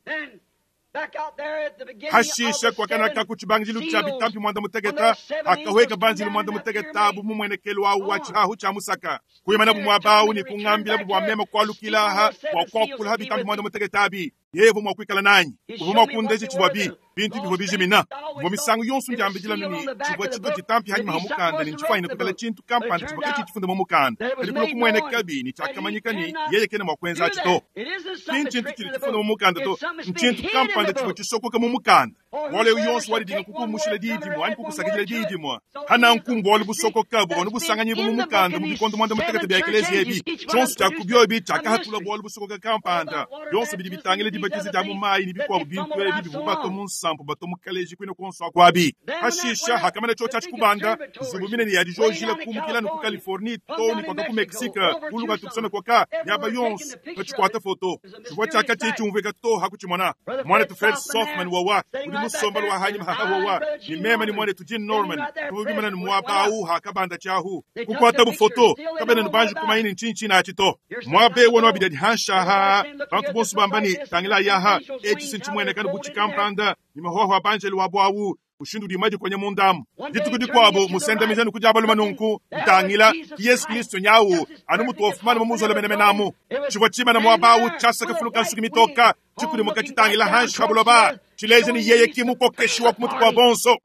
hashisha kwakanaka ku tshibangidilu tshia bitampi mwanda muteketa akahweka banzilu mwanda muteketa abu mumwenekelo awu wa tshihahu tshia musaka kuyimana bu muaba awu ni kungambila bu bua meme kualukilaha bua kuakulaha bitampi mwanda muteketa abi yevo mua kuikala nanyi uvua mua kundeja tshivua bi bintu bivua bijimina mvua misangu yonso ndiambidila ni tshivua tshitu tshitampi hanyima ha mukanda ni ntshifwanyine kuikala tshintu kampanda tshivua katshi tshifunda mu mukanda kadi kulo kumueneka bi ni tshiakamanyika ni yeye kena mua kuenza atshi to ki ntshintu tshidi tshifunda mu mukanda to ntshintu kampanda tshivua tshisokoka mu mukanda bualu eu yonso walidinga kukumushila diyi dimue anyi kukusakidila diyi dimue hana nkumbu bualu busokoka buvua nubusanganyibu mu mukanda mu bikondo mwanda mutekete bia ekeleziya ebi tshionso tshia kubiobi tshiakahatula bualu busokoka kampanda bionso bidi bitangila dibatiza dia mu mayi ni bikuabu bintu ebi bivua bato mu nsampu bato mu kaleji kwina konso akuabi hashisha hakamana tsho tshiatshi kubanda nzubu minene ya dijojila kumukila ku Californie to ni kwaka ku Mexique kuluka tukusana kwaka yaba yonso patshikwata foto tshivua tshiaka tshie tshiumvuika to hakutshimona mwana tu Fred Softman wawa udi musomba lwa hanyima hakahowa ni mema ni mwanetu Jim Norman tuvugimana ni mwaba awu hakabanda chahu kukwata bufoto kabene nubanji kumaini nchinchi na achito mwabe wono wabidadi hanshaha bantu bonso bambani tangila yaha echi sinchimwene kanu buchi kampanda ni mahoho abanjeli wabo awu ushindu dimaji kwenye mundamu dituku dikwabo musendamizani kujabalu manunku ntangila Yesu Kristo nyawu anu mutu ofumana mumuzole menemenamu chivwa chima na mwabawu chasaka fuluka nsuki mitoka chikudimuka chitangila hanshi habuloba chileje ni yeye kimukokeshiwa kumutu kwa bonso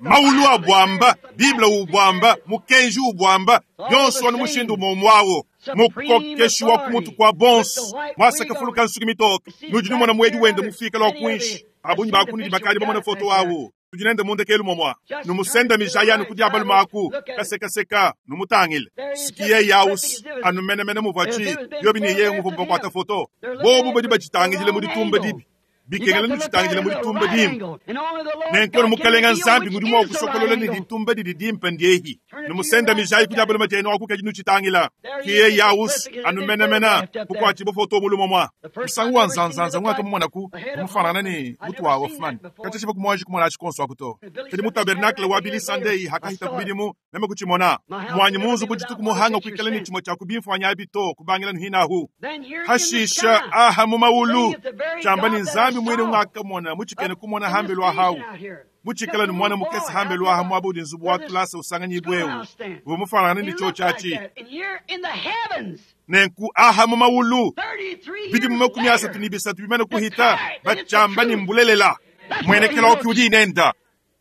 maulu abwamba biblia ubwamba mukenji ubwamba byonso anu mushindu momwawo mukokeshiwa kumutu kwa bonso mwasaka fuluka nsuki mitoka nujinumona mwedi wende mufika lwa kwinshi abunyi bakunidi bakali bamona foto wawo tujinende mundekelu momwa numusenda mijaya nukudia balumaku kasekaseka numutangile sikiye yaus anumenemene muvachi yobi ni ye nguvu mbakwata foto bobu badi bachitangijile muditumba dibi bikengela nuchitangijile muditumba dimba nenkono mukalenga nzambi ngudi mwa kusokolola ni ditumba didi dimpa ndiehi numusenda mijayi kudia baluma jeno akukaji nuchitangila kiye yaus anumenemena kukwachi bofoto mulumo mwa musangu wa nzanzanza ngwaka mumona ku mufanana ni mutu wa Hoffman kacha chiva kumwaji kumona achikonso akuto kadi mu tabernacle wa Billy Sunday hakahita kubidimu meme kuchimona mwanyi munzu kujitu kumuhanga kuikala ni chimo cha kubimfanya abito kubangila nuhinahu hashisha aha mu maulu chamba ni nzambi mwene ngaka mona muchikene kumona hambe lwa hawu muchikala ni mwana mukesi hambe lwa hamu abudi nzubu wa tulasa usanganyi bwewu bumufanana ni cho chachi nenku aha mu maulu bidi mu makumi asatu ni bisatu bimene kuhita bachamba ni mbulelela mwenekela okiudi inenda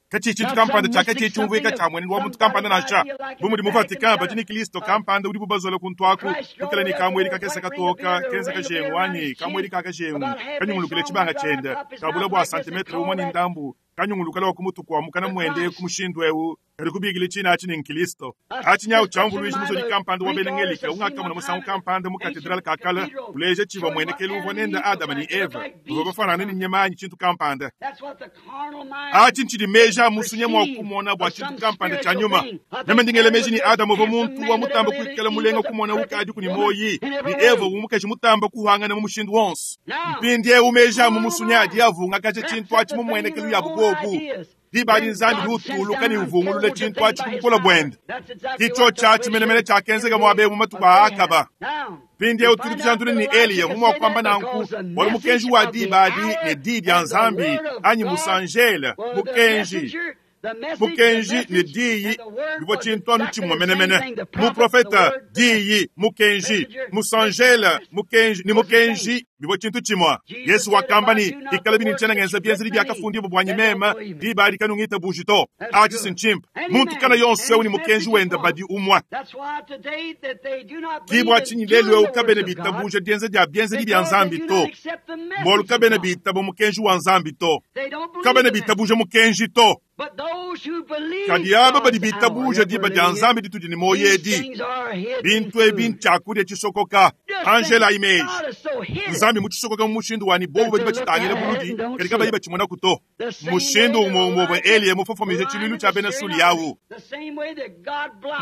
kachi chintu kampanda chaka chichumvika cha mwene wa muntu kampanda nasha bumudi mu Vatican bachini Kristo kampanda udi bubazola kuntwaku kukala ni kamweri kakesa katoka kenza kashengu ani kamweri kakashengu kanyungulukile chibanga chenda kabula bwa santimetre umwe ni ndambu kanyungulukala wakumutu kwa mukana mwende kumushindu ewu kali kubigile china achi ni nkristo achi nyawu chambulwishi muzoli kampanda wabenengelike ungakamuna musangu kampanda mu katedral kakala kuleje chiva mwene kelu uvwa nenda Adama ni Eva uva bafanana ni nyemanyi chintu kampanda achi nchidi meja musunye mwa kumona bwa chintu kampanda cha nyuma neme ndingele meji ni Adamu uva muntu wa mutamba kuikala mulenga kumona ukadi kuni moyi ni Eva umukeshi mutamba kuhangana mu mushindu wonse mpindi eu meja mu musunye adi yavunga kache chintu achi mumwene kelu ya bugobu dibali nzambi lutuluka ni uvungulule chintu achi kubukola bwende kicho chachi menemene chakenzeka mwabe mu matuku akaba pindi eu tuli tujandule ni Eliya mumwa kwamba nanku wali mukenji wa dibadi ne di ya nzambi anyi musanjela mukenji mukenji ne diyi bivua tshintu anu tshimue menemene muprofeta diyi mukenji musanjela mukenji ni mukenji bivua tshintu tshimue Yesu wakamba ni ikala bini ntsena ngenza bienzedi biakafundibwa bwanyi mema diba adi kanungita buji to achi sinchimpa muntu kana yonso eu ni mukenji wenda badi umwa kibwa tshinyi lelu eu kabene bitabuja dienza dia bienzedi bia nzambi to mbolu kabene bitaba mukenji wa nzambi to kabene bitabuja mukenji to kadi aba badi bitabuja diba dia nzambi ditudi ni moyedi bintu ebi ntshakudia tshisokoka angela image nzambi mutshisokoka mu mushindu wani bobu badi batshitangile buludi kadi kabayi batshimona kuto mushindu umwe umwe Eliya mufofomije tshiluilu tshia bena Suli yawu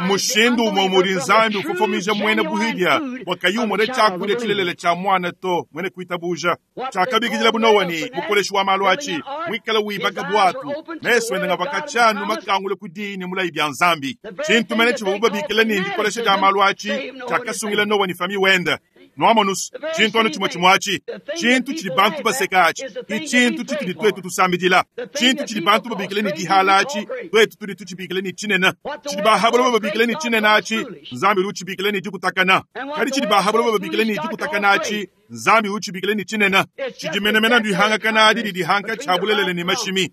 mushindu umwe umwe udi nzambi ufofomije mwene buhidia wakayumona tshakudia tshilelele tsha mwana to mwene kuitabuja tshakabikidila bunowa ni mukoleshi wa malu achi mwikala wibaka bwatu meso ende ngavakachanu makangule kudini mulayi bya nzambi tshintu mene tshiva bubabikila ni ndikolesha dia malu achi tshiakasungila nowa ni fami wenda nwamonus tshintu anu tshimue tshimue atshi tshintu tshidi bantu baseka atshi itshintu tshitudi twetu tusambidila tshintu tshidi bantu babikile ni dihala atshi twetu tudi tutshibikile ni tshinene tshidi bahabula bababikile ni tshinene atshi nzambi udi utshibikile ni dikutakana kadi tshidi bahabula bababikile ni dikutakana atshi nzambi utshibikile ni tshinene tshidi menemene ndihangakana adi didihanka tshabulelele ni mashimi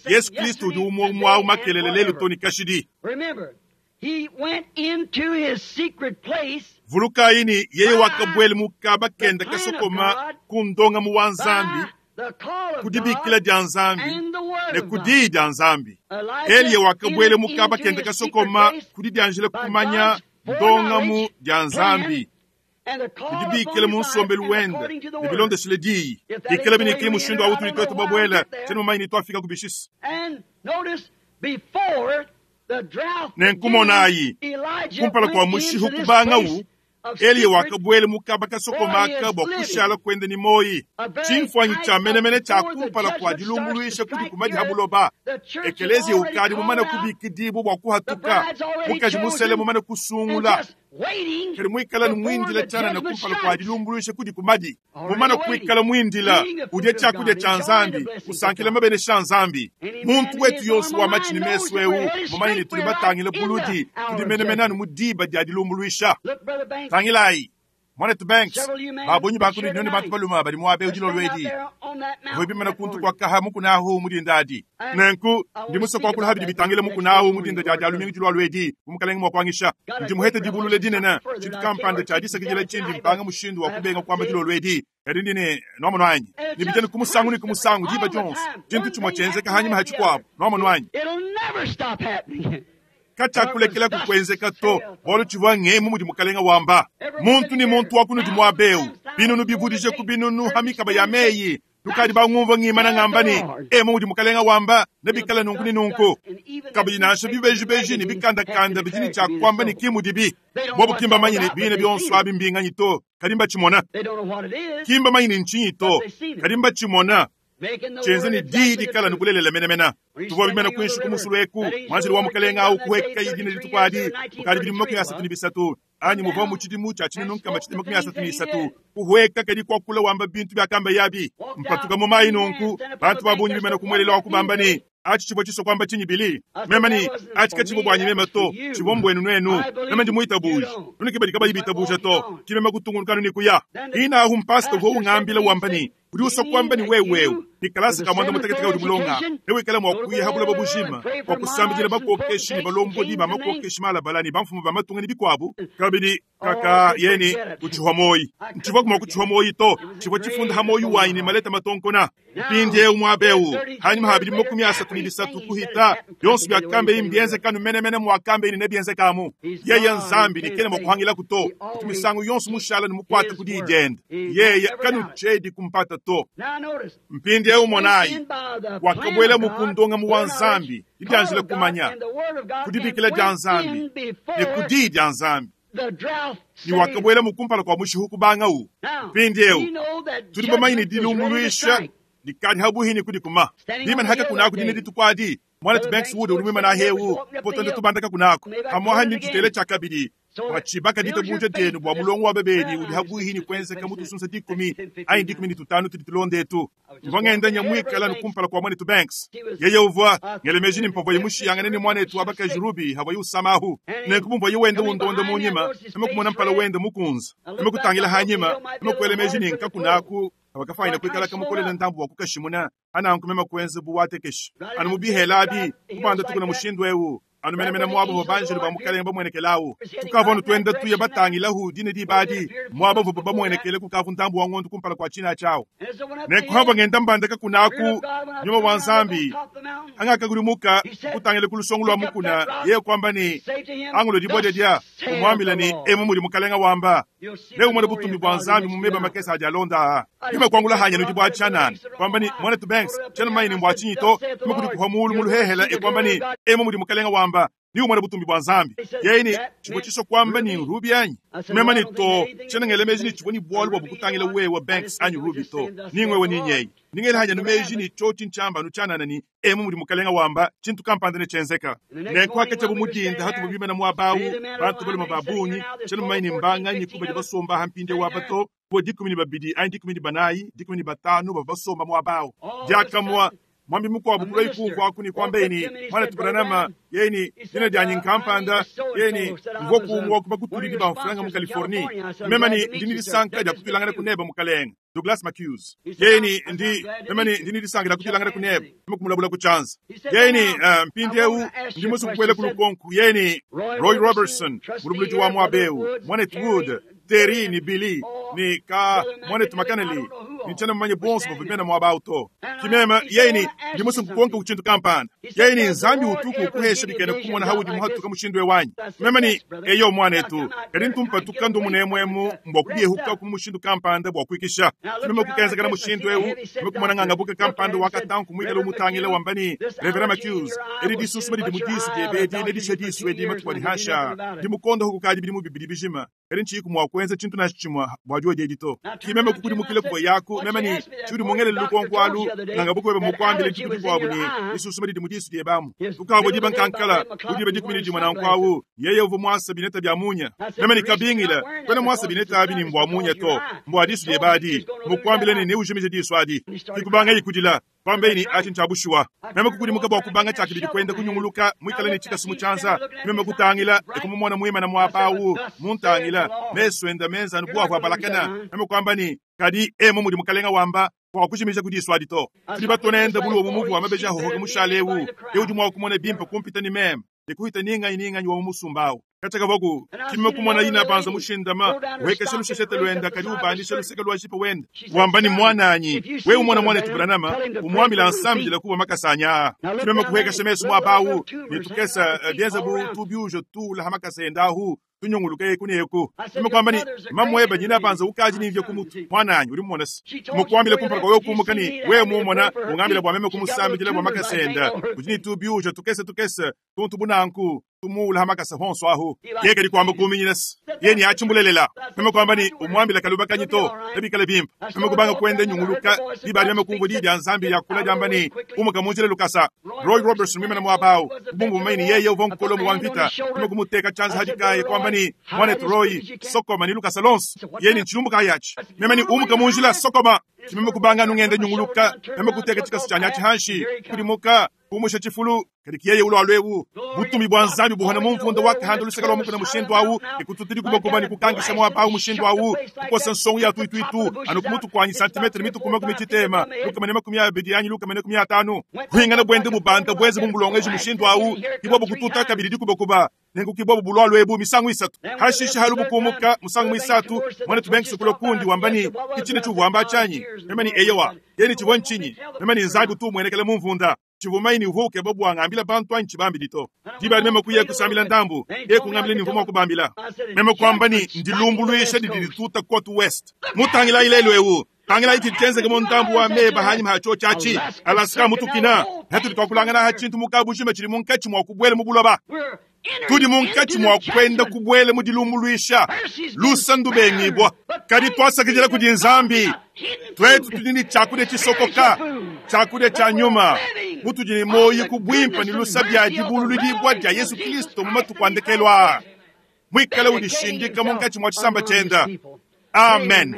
Yesu Kristo udi umwe umwe awu makelele lelu toni kashidi He went into his secret place. Vulukaini yeye wakabwele mukaba kenda kasokoma kundonga mu wa nzambi kudibikila dia nzambi ne kudi dia nzambi Eliya wakabwele mukaba kenda kasokoma kudidianjila kumanya ndonga dia nzambi kudibikila mu nsombelu wenda ne bilondeshile diyi ikala binikili mushindu awu tudi twetu babwela tshiena mumanyi ni twafika kubishisa Before nenkumonayi kumpala kwa mushihu kubangawu Eliya wakabwela mukaba kasokomaka bwa kushala kwenda ni moyi chimfwanyi cha menemene cha kumpala kwa dilumbuluisha kudi kumadi habuloba ekelezia ukadi mumana kubikidibu bwa kuhatuka mukaji musele mumana kusungula kali mwikala ni chana na kumpala kwa dilumbuluisha kudi kumadi mumana kuikala mwindila udye chakudya cha nzambi usankila mabene sha nzambi muntu wetu yonso wa machini mesu eu mumanye ni tuli batangila buludi tudi menemenanu mudiba dia dilumbuluisha tangilayi mwanetu Banks babunyi bakuni nyoni bantu baluma bali mwabe ujilo lwedi vwebimana kuntu kwa kaha mukunahu mudindadi nenku ndi musoko kwa habidi bitangile mukunahu mudinda dia dia lumingi julwa lwedi umukalenge mwakwangisha ndi muhete dibulule dinene chintu kampanda cha disakijila chindi mpanga mushindu wa kubenga kwamba julwa lwedi kadi ndine nomo nwanyi nibijeni kumusangu ni kumusangu diba Jones chintu chimwe chenzeka hanyuma hachikwabo nomo nwanyi kachakulekela kukwenzeka to bolo chivwa ngemu mudi mukalenga wamba muntu ni muntu wakunudi mwabeu binunu bivudije ku binunu hamikaba ya meyi tukadi bangumva ngimana ngambani emu mudi mukalenga wamba nebikala nunku ni nunku kabidi nansha bibejibeji ni bikandakanda bidini cha kwamba ni kimudibi bobo kimba manyine bine byonso abi mbinganyi to kadimba chimona kimba manyine nchinyi to kadimba chimona chenze ni didi kala nikulelela menemena tuvwa bimena kwinshi kumusulu eku mwanzili wa mukalenga au kuweka idina litukwadi mukali bili makumi asatu ni bisatu anyi muva mu chidimu cha chinu nkama chidi makumi asatu ni isatu kuhweka kadi kwakula wamba bintu byakamba yabi mpatuka mu mayi nunku bantu babunyi bimena kumwelela wakubamba ni achi chibwa chiso kwamba chinyi bili mema ni achi kachibo bwanyi mema to chibwa mbwenu nwenu mema ndi muita buji nuni kibadi kaba ibita buja to chimema kutungunukanu ni kuya ina ahu mpasta huo ungambila wamba ni uri uso kwamba ni wewewe nikalasi kamwanda mutakatifu uri mulonga ewe kala mwakuya habula babushima kwa kusambijira bakokeshi ni balombodi bamakokeshi malabalani bamfumu bamatunga ni bikwabu kabidi kaka yeni kuchihwa moyi nchivwa kuma kuchihwa moyi to chivwa chifunda ha moyi wanyi ni maleta matonkona mpindi eu mwabeu hanyuma habili makumi asatu ni bisatu kuhita byonso byakambe imbienze kanu menemene mwakambe ini nebienzekamu yeye nzambi nikene mwakuhangila kuto kutumisango yonso mushala ni mukwata kudijenda yeye kanu chedi kumpata to mpindi eu monayi wakabwela mukundonga mu wa nzambi idyanjila kumanya kudibikila dya nzambi ne kudi dya nzambi ni wakabwela mukumpala kwa mushihu kubanga u mpindi eu tuli bamanyi dilumbuluisha likadi habuhini kudi kuma limani haka kunako dine ditukwadi mwana tu Banks Wood uri mwimana hewu potonde tubandaka kunako hamwaha ni tutele chakabidi wachibaka dito buja denu bwa mulongo wa bebedi uri habuhini kwenzeka mutu sunsa dikumi ayi dikumi ni tutanu tudi tulonde tu mvangenda nyamwikala nukumpala kwa mwana tu Banks yeye uvwa ngelemeji ni mpavo yimushiyangane ni mwana etu abaka jurubi havo yusamahu nenkubumbwa yiwende wundonde munyima emekumona mpala wende mukunza emekutangila hanyima emekwelemeji ni nkakunaku abakafaina kwikala kamukolela ntambu wa kukashimuna ana nkumema kwenze buwatekeshi anu mubihela abi kubanda tukuna mushindu ewu anu menemene mwabo bobanjelu bamukalenga bamwenekelawu tukavonu twenda tuye batangilahu dine dibadi mwabo vobo bamwenekele kukavu ntambu wa ng'ondo kumpala kwa china chawo nenkuhamba ngenda mbandaka kunaku nyuma wa nzambi angakagulimuka kutangile kulusongo lwa mukuna ye kwamba ni angulo dibode dia kumwambila ni emu muli mukalenga wamba leo mwana butumbi bwa nzambi mumeba makesa ajalonda yume kwangula hanya nudi bwa chanana kwamba ni mwana tu Banks chana maini mbwa chinyito mukudi kuha mulu muluhehela e kwamba ni emu muli mukalenga wamba ni umwana butumbi bwa nzambi yeini chibwe chiso kwamba ni rubi anyi mema ni to chana ngelemeji ni chibwe ni bwalu bwa bukutangila wewe Banks anyu rubi to ningwewe ninyeyi ningeli hanya numeji ni choti nchamba nuchanana ni emu muli mukalenga wamba chintu kampanda ne chenzeka nenkwaka chabu mudinda hatu bubima na mwabawu bantu bali mababunyi chana maini mbanga nyi kuba basomba hampinde wabato bo dikumi ni babidi ayi dikumi ni banayi dikumi ni batanu bava basomba mwabawu diakamwa mwambi mukwabu kula ikungu akuni kwamba ini mwana tubaranama yeni dina dyanyi nkampanda yeni mvoku wakuba kutulidi bamfulanga mu California mema ni ndini lisanka dya kutulangana kuneba mukalenga Douglas McHughes yeni ndi mema ni ndini lisanka dya kutulangana kuneba mukumulabula kuchanza yeni uh, mpindi eu ndi musu kukwele kulukonku yeni Roy Robertson mulubuluji wa mwabeu mwanet Wood Terry ni Billy ni ka mwanetu makaneli ni chana mmanye bonso bavimena mwabauto kimema yeni ndi musu kukonka kuchintu kampanda yeni nzambi utuku kuhesha bikene kumona haudi muhatuka mushindu wanyi mema ni eyo mwanetu kadi ntumpa tukando munemwemu mbwa kubyehuka ku mushindu kampanda bwa kwikisha kimema kukenzekana mushindu eu mekumona nganga buka kampanda wakatanku mwikala umutangile wambani Reverend McHughes eri disusuma didi mudisu dyebedi nedisha disu edi matukwadi hasha ndi mukonda huku kadi bidi mubibidi bijima Kadi ntshiyiku mua kuenza tshintu nansha tshimue bua diodi edi to. Ki meme kukudimukila kuvua yaku, meme ne tshiudi mungelele lukonko alu, nganga bukwebe mukuambile dituku dikuabu ne disusuma didi mu disu diebe amu. Tukavua diba nkankala, bu diba dikumi ne dimue nanku awu, yeye uvua muasa bineta bia munya. Meme ne kabingila, kuena muasa bineta abi ni mbua munya to, mbua disu diebe adi. Mukuambile ne neujimije disu adi. Kikubanga yikudila. Kwambe ni achi nchabushuwa. Meme kukudimuka bua kubanga tshiakabidi kwenda kunyunguluka mwikale ne tshikasu mu tshianza. Meme kutangila ekumumona muimana muaba awu muntangila mesu enda menza anu buavu abalakana. Meme kwamba ni kadi emu mudi mukalenga wamba kwa kujimija kudisu adi to. Tudi batonenda buluwo mu muvu wa mabeji ahohoka mushale ewu. Eu udi mua kumona bimpe kumpita ni meme. Ekuhita ninganyi ninganyi wa musumba Katshaka voku kime kumona ina banza mushindama wekesha lusheshete lwenda kadi ubandisha luseke lwa jipe wenda wamba ni mwananyi we umona mwana tubulanama umwambila nsambila kuba makasanya kimeme kuhekesha mesu mwabawu nitukesa byenza bu tubyujo tula hamakasa endahu tunyunguluka eku neku kime kwamba ni mamweba nyina banza ukaji nivyo kumutu mwananyi uri mumona si mukwambile kumpala kwawe kumuka ni we mumona ungambila bwa meme kumusambila bwa makasenda udi ni tubyujo tukesa tukesa tuntu bunanku tumula hamakasa honso ahu yeke likwamba kuminyinasi yeni achimbulelela meme kwamba ni umwambila kaluba kanyito ebikale bimpa meme kubanga kwenda nyunguluka libali meme kumva lidi ya nzambi yakula lyamba ni umuka munjile lukasa Roy Robertson mwimena mwabawu kubumbu maini yeye uva nkolomo wa mvita meme kumuteka chanza hadikaye kwamba ni mwanetu Roy sokoma ni lukasa lonso yeni nchilumbuka yachi meme ni umuka munjila sokoma chimeme kubanga nungende nyunguluka meme kuteka chikasu chanyachi hanshi kulimuka kumusha chifulu kadi yeye ulo alwewu butumi bwa nzambi buhona mumvundo wakahanda luseka lwa mukuna mushindu awu ikututili kubakuba ni kukangisha mwapa awu mushindu awu kukosa nsongo ya tuituitu anu kumutu kwanyi santimetri mitu kuma kumichitema lukamene makumi abidi anyi lukamene kumi atanu kuhingana bwende bubanda bweze bumbulongeji mushindu awu ibwabu kututa kabili dikubakuba nengu kibwabu bulwa lwebu misangu isatu hashisha halubu kumuka musangu isatu mwana tubenki kulo kundi wambani kichine chuvuamba chanyi memani eyewa yeni chivwa nchinyi memani nzambi tu mwenekele mumvunda chivumaini uvuke bobu angambila bantu anchi bambili to diba meme kuye kusambila ndambu ye kungambila ni mvumo kubambila meme kwamba ni ndilumbuluisha didilituta kotu west mutangila ilelo ewu tangila iti tenzeke mo ndambu wa meba hanyi mahacho chachi Alaska mutukina hetu twakulangana ha chintu mukabushima chili munkachi mwa kubwele mubuloba tudi munkachi mwa kwenda kubwele mudilumbuluisha lusa ndubengibwa kadi twasakijela kudi nzambi twetu tudi ni chakudia chisokoka chakudia cha nyuma mutudi ni moyi kubwimpa ni lusa bya dibululidibwa dya Yesu Kristo mu matuku andekelwa mwikale udishindika munkachi mwa chisamba chenda. Amen.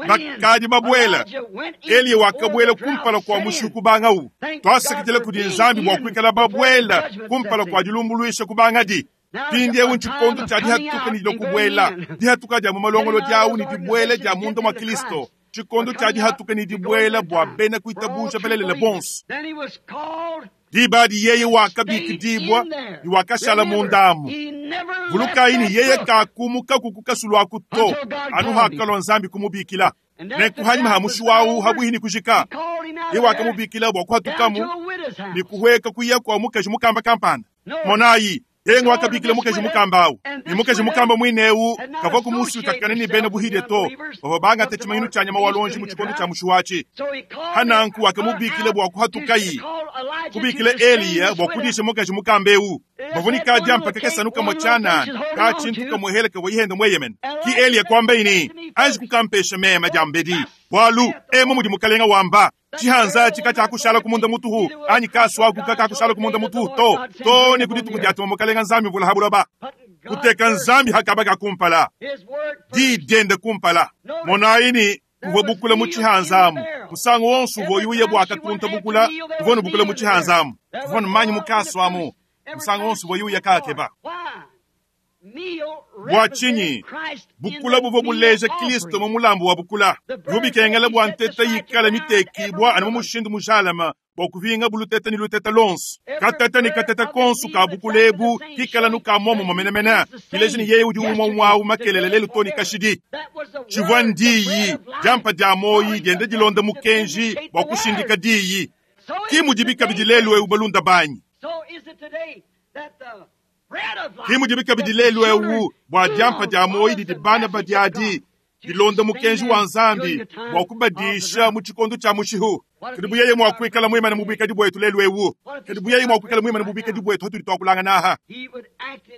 Bakadi babwela Eliya wakabwela kumpala kwa mushuku bangau twasakitile kudi nzambi bwa kwikala babwela kumpala kwa dilumbuluisha kubangadi pindiewu nchikondo cha dihatuka ni lokubwela dihatuka dia mumalongolo diawu ni dibwela dia mundu mwa Kristo chikondo cha dihatuka ni dibwela bwa bena kuitabusha belelela bonso dibadi yeye wakabikidibwa ni wakashala mundamu vulukaini yeye kakumuka kukukasulwaku to anu hakalwa nzambi kumubikila nenkuhanyima ha mushuwawu habwihini kujika ye wakamubikila bwa kuhatukamu ni kuhweka kuya kwa mukaji mukamba kampanda monayi yeye wakabikila mukaji mukamba awu ni mukaji mukamba mwinewu kava kumusutakana ni bena buhide to bava banga techimanyinu cha nyama walonji mu chikondo cha mushuwachi hananku wakamubikila bwa kuhatukayi kubikila Eliya bwa kudisha mukaji mukamba ewu bavuni kadya mpaka kesanuka mochana ka chintu kamuheleka wayihenda mweyemen ki Eliya kwamba ini anji kukampesha mema jambedi bwalu emo mudi mukalenga wamba chihanza chika chakushala kumunda mutuhu anyi kaswaku kakakushala kumunda mutuhu to to ni kudituku dyatuma mukalenga nzambi mvula habuloba kuteka nzambi hakaba kakumpala didende kumpala monaini kuvwe bukula mu chihanzamu musango wonso uvo yuye bwakatunta bukula kuvona bukula mu chihanzamu kuvona manyi mukaswamu musango wonso uvo yuye kakeba bwa chinyi bukula buvo buleja Kristo mu mulambo wa bukula bubikengela bwa nteta yikala mitekibwa anu mushindu mujalama bwa kuvinga buluteta ni luteta lonso kateta ni kateta konsu ka bukulebu kikala nuka momo mamenamena kileji ni yeye udi umwa umwawu makelele lelu toni kashidi chivwa ndiyi jampa dia moyi diende dilonda mukenji bwa kushindika diyi kimudibika bidi lelu ewu balunda banyi kimudibika bidi lelu ewu bwa diampa dia moyi didi bana badiadi dilonda mukenji wa nzambi bwa kubadisha mu tshikondo tshia mushihu Kadi buyeye mwakwikala mwimana mubwikadi bwetu lelu ewu. Kadi buyeye mwakwikala mwimana mubwikadi bwetu hatuli twakulangana aha.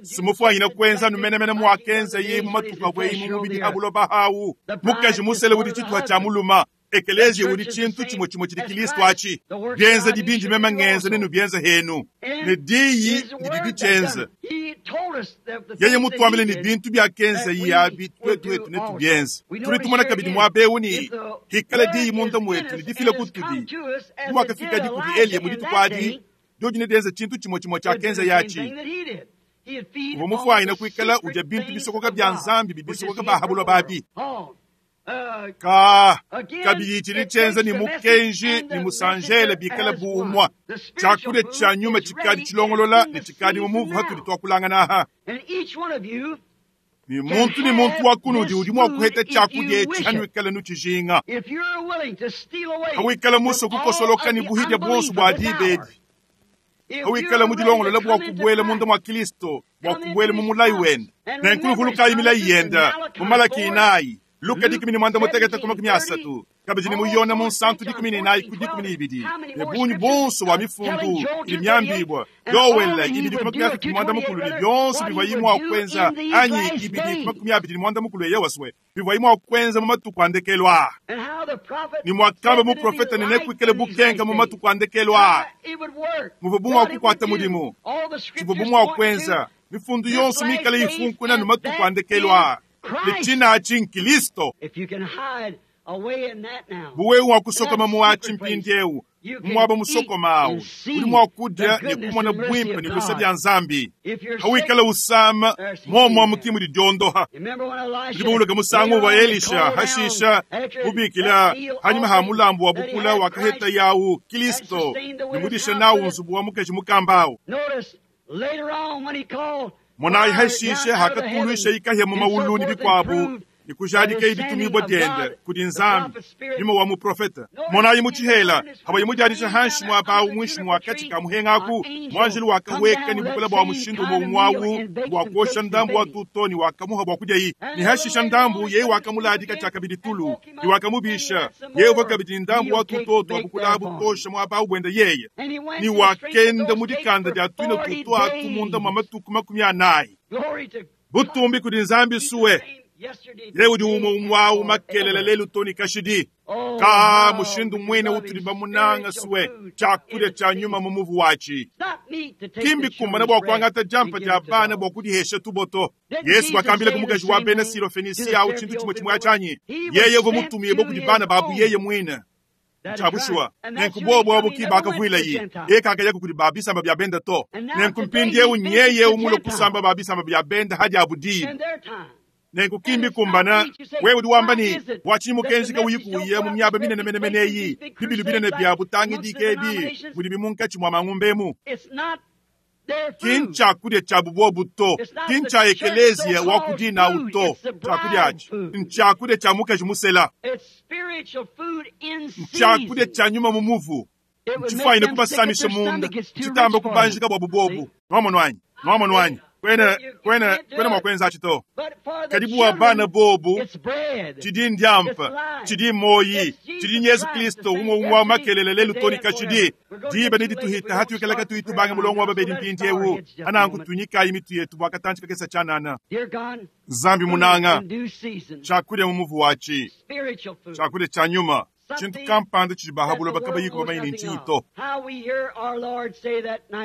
Simufwanyina kwenza numenemene mwakenza ye mu matuka bweyi mu mubili habuloba hawu. Mukaji musele udi chituha cha muluma. Ekelezia udi chintu chimwe chimwe chili Kristo achi. Byenza dibinji mema ngenza nenu byenza henu. Ne diyi ndidi dichenza. Yeye mutwambile ni bintu bya kenza yabi twetu wetu netu byenza. Tuli tumona kabidi mwabewu ni hikala diyi munda mwetu ni difile kutudi. Mwakafika dikudi Eliya muditu kwadi. Doji ne denza chintu chimwe chimwe cha kenza yachi. Uvo mufwanyina kwikala uja bintu bisokoka bya nzambi bibisokoka bahabulwa babi. Ka kabili chili chenza ni mukenji ni musanjele bikala buumwa. Chakule cha nyuma chikadi chilongolola ni chikadi mumuvu hatuli twakulangana aha. Ni muntu ni muntu wa kunudi udi mwakuheta chakulya echi hanwikala nuchijinga. Hawikala muso kukosoloka ni buhidya bwonso bwa dibedi. Hawikala mudilongolola bwa kubwela munda mwa Kristo bwa kubwela mumulayi wenda. Nenkulukulukayi milayi yenda mumalaki inayi. Luka dikumi ni mwanda mutegeta kuma kumi asatu. Kabidi ni muyona munsantu dikumi ni nayi ku dikumi ni ibidi. Ne bunyu bonso wa mifundu ili myambibwa. Yowela ibidi kuma kumi asatu mwanda mukulu ni byonso bivwa yimwa kwenza anyi ibidi kuma kumi abidi ni mwanda mukulu yewaswe. Bivwa yimwa kwenza mu matuku andekelwa. Ni mwakamba mu profeta ni nekwikele bukenka mu matuku andekelwa. Muvubumwa kukwata mudimu. Chivubumwa kwenza. Mifundu yonso mikale ifunkuna nu matuku andekelwa. Lichina achi Kristo. Buwe wa kusokoma muachi mpindiewu. Mwaba musokoma uli mwakudya ni kumona bwimpe ni kusabya nzambi. Hawikala usama momwa mukimu didiondoha. Ndibuluka musangu wa Elisha hashisha ubikila hanyuma ha mulambo wa bukula wakaheta yawu Kristo nimudisha nawu nzubu wa mukeshi mukambao. Monayi hashishe hakatulwisha ikahya mu mawulu ni bikwabu nikujadika ibitumibwa dyende kudi nzambi nyuma wa muprofeta. Monayi muchihela habayi mujadisha hanshi mwabawu mwishi mwakati ka muhengaku mwanjili wakaweka ni bukula bwa mushindu mwa mwawu bwa kuosha ndambu wa tutoni wakamuha bwa kudya yi ni hashisha ndambu yeye wakamuladika chakabidi tulu ni wakamubisha yeye wakabidi ndambu wa tutoto wa bukula butosha mwabawu bwenda yeye ni wakenda mudikanda dya twina tuto atumunda mwa matuku makumi anayi butumbi kudi nzambi suwe. Ye udi umwe umwawu makelele lelu toni kashidi. Ka mushindu mwene utuli bamunanga suwe chakulya cha nyuma mu muvu wachi. Kimbi kumbana bwa kwangata jampa dya bana bwa kudihesha tuboto. Yesu wakambile kumukaji wa bena Siro Fenisia au chintu chimwe chimwe achanyi. Yeye uvo mutumiye bo kudi bana babu yeye mwene. Chabushwa nenkubobo abukiba akavwila yi eka akaya kuli babisamba bya benda to nenkumpindie unyeye umulo kusamba babisamba bya benda hadi abudi nenkukimbi kumbana wewe udi wamba ni wachimukenzi ka uyikuye mu myaba minene mene meneyi bibilu binene bya butangi dikebi buli bimunkachi mwa mangumbemu kincha kudya cha bubobu to kincha ekelezia wakudina uto chakudya achi nchakudya cha mukaji musela nchakudya cha nyuma mumuvu nchifaine kubasamisha munda chitamba kubanjika bwa bubobu nwamonwanyi nwamonwanyi kwena kwena kwena mwakwenza achito kadibu wa bana bobu chidi ndyampa chidi moyi chidi Yesu Kristo umwe umwe wa makelele lelu toni kashidi diba nidi tuhita hatu ikalaka tuitu banga mulongo wa babedi mpindi ewu anangu tunyika imitu yetu bwakatanchika kesa chanana Zambi munanga chakulya mumuvu wachi chakulya cha nyuma chintu kampanda chili bahabula bakabayiko bamayini nchito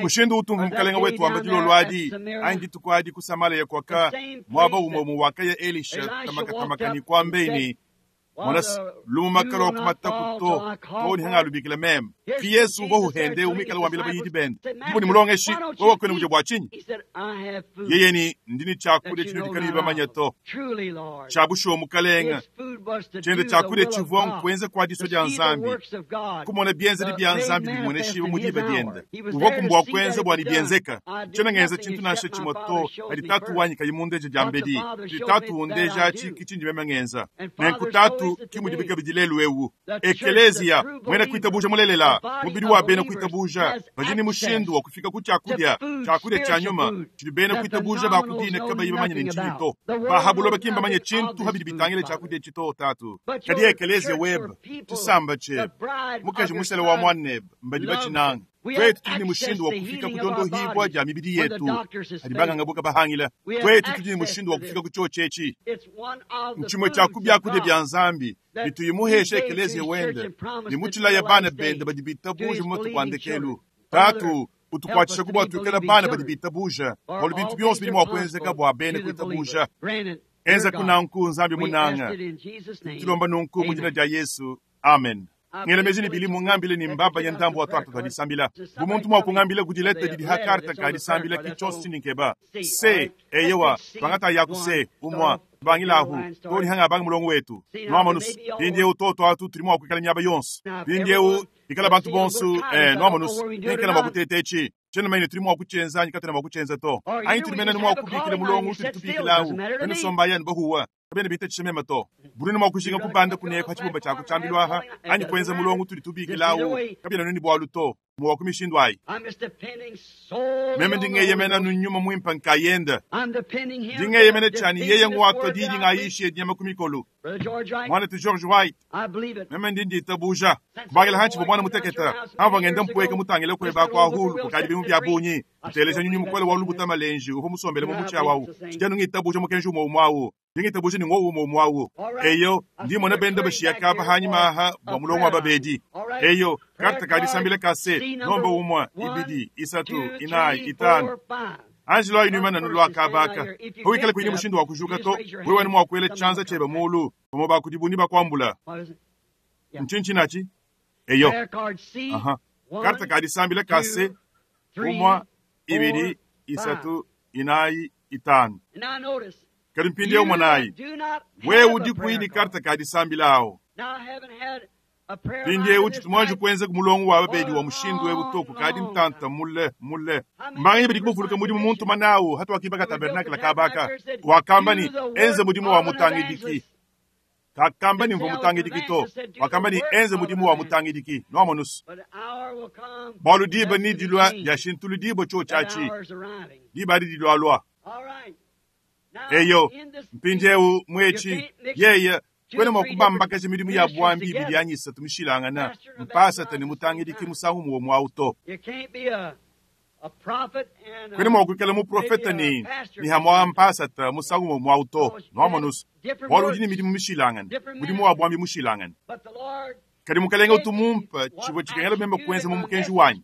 mushindu utumvu mukalenga wetu wamba dilolwadi angi tukwadi kusamala yakwaka mwaba umwe muwaka ya Elisha tamaka tamaka ni kwambeni mona lumakalo wakumata kuto toni hanga lubikila meme ki Yesu bo huhende umikala wambila bayidi bende mbuni mulongeshi wewe kwene muje bwachinyi yeye ni ndini chakulya chino dikaliba manyato chabusho mukalenga chende chakulya chivwa nkwenza kwa diso lya nzambi kumona byenza li bya nzambi bimoneshiwe mudiba dyenda uvo kumbwa kwenza bwani byenzeka chena ngenza chintu nashe chimoto alitatu wanyi kayimundeje jambedi litatu undeja chiki chinji mema ngenza nenkutatu Nanku ki mudi bikabidi lelu ewu. Ekeleziya mwena kuitabuja mulelela, mubidi wa bena kuitabuja, badi ne mushindu wa kufika ku tshiakudia, tshiakudia tshia nyuma, tshidi bena kuitabuja ba kudina kabayi bamanye ne ntshinyi to. Bahabuloba ki mbamanye tshintu habidi bitangile tshiakudia tshito tatu. Kadi ekeleziya webe, tshisamba tshiebe, mukaji musele wa mwanebe, mbadi batshinanga. Twetu tudi ne mushindu wa kufika ku diondohibwa dia mibidi yetu adi banganga bahangila. Twetu tudi ne mushindu wa kufika ku tshiotshi nchimwe tshia ku biakudia bia Nzambi bituyimuhesha ekeleziya wende ne mutshilaya bana bende badi bitabuja mu matuku a ndekelu. Tatu utukuatshisha ku bua tuikala bana badi bitabuja bualu bintu bionso bidi mua kuenzeka bua bene kuitabuja. Enza kunanku Nzambi munanga tulomba nunku mu dina dia Yesu, amen. Ngela meji ni bilimu ngambile ni mbaba ya ndambo watu atu tadisambila. Bumuntu mwa kungambile kudileta didi hakarta kadisambila kichonso chininkeba. Se, eyewa, bangata yaku se, umwa, bangilahu, tori hanga bang mulongo wetu. Noamanus, pindie utoto atu tuli mwa kuikala nyaba yonso. Pindie u, ikala bantu bonsu, eh, noamanus, ikala mwa kutetechi. Chena maine tuli mwa kuchenza, nyikatena mwa kuchenza to. Anyi tuli mena ni mwa kubikila mulongo, tuli tubikilahu. Enu somba yenu bahuwa. Kabene bita chishemema to. Buruni mwa kushinga kubanda kunekwa chibumba chako chambilwaha. Anyi kwenza mulongo tuli tubikilawu. Kabina nuni bwalu to. Mwa kumishindu ayi. Meme ndingeyemena nunyuma mwimpa nkayenda. Ndingeyemena chani yeye ngwatwa didi ngayishe nyama kumikolo. Mwana tu George White. Meme ndindi itabuja. Kubagela hanchi bo mwana muteketa. Hava ngenda mpweka mutangile kweba kwa hulu kukadi bimu bya bunyi. Utelesha nyunyu mukwele wa lubuta malenji. Uho musombele mu mucha wawu. Chijanu ngitabuja mukenju mwa umwawu. Ndingitabuja ni ngowu mwa umwawu. Eyo ndimo na benda bashiya kapa hanyuma aha bwa mulongo wa babedi. Eyo karta kadisambile kase nomba umwa ibidi isatu inai itano. Angelo ayinuma nulwa kabaka. Howikala kuini mushindu wa kujuka to wewe ni mwakwele chanza cheba mulu omo bakudibuni bakwambula. Nchinchi nachi? Eyo. Aha. Karta kadisambile kase umwa ibidi isatu inai itano. Kalimpindi umwanayi. Wewe udi kuini karta kadisambila Pindi eu chitumwanju kwenza kumulongo wa babedi wa mushindu webu toku kadi mtanta mule mule. Mbangi bidi kumufuluka mudimu muntu manawu hatu wakibaka tabernakla kabaka. Wakamba ni enze mudimu wa mutangidiki. Kakamba ni mvu mutangidiki to. Wakamba ni enze mudimu wa mutangidiki. Noamonus. Balu diba ni dilwa ya shintulu dibo cho chachi. Diba di dilwa lwa. Eyo, mpindi eu mwechi. Yeye. Kwene mwakubamba kashi midimu ya bwambi ibili yanyisa tumishilangana mpasa tani mutangidiki musangu muwo mwauto. Kwene mwakwikala muprofeta ni ni hamwa mpasa ta musangu muwo mwauto. Noamonus. Walu dini midimu mishilangana. Mudimu wa bwambi mushilangana. Kadi mukalenga utumumpa chibo chikengela memba kwenza mu mukenji wanyi.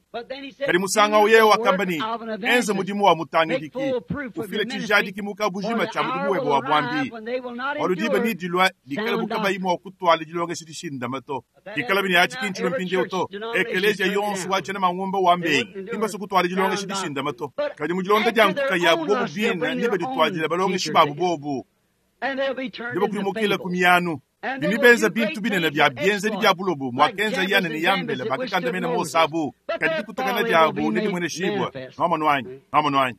Kadi musanga uyewe wakamba ni enze mudimu wa mutangidiki ufile tshijadiki mukabujima tshia mudimu webe wa bwambi. Waludiba ni dilwa dikala bukabayi mwa kutwala dilongesha dishindama to. Dikala bini achi kinchilo mpindiewu to. Ekeleziya yonso wa tshena mangumba wa mbengi. Imbaso kutwala dilongesha dishindama to. Kadi mudilonda dia nkuka ya bobu bina ndiba ditwadila balongeshi babu bobu. Ndiba kulimukila kumiyanu. Binibenza bintu binene bya byenzeli bya bulobu mwakenza yana ni yambele bakakanda mena mosabu kadi kutakana diabu ne dimwene shibwa nomonwanyi nomonwanyi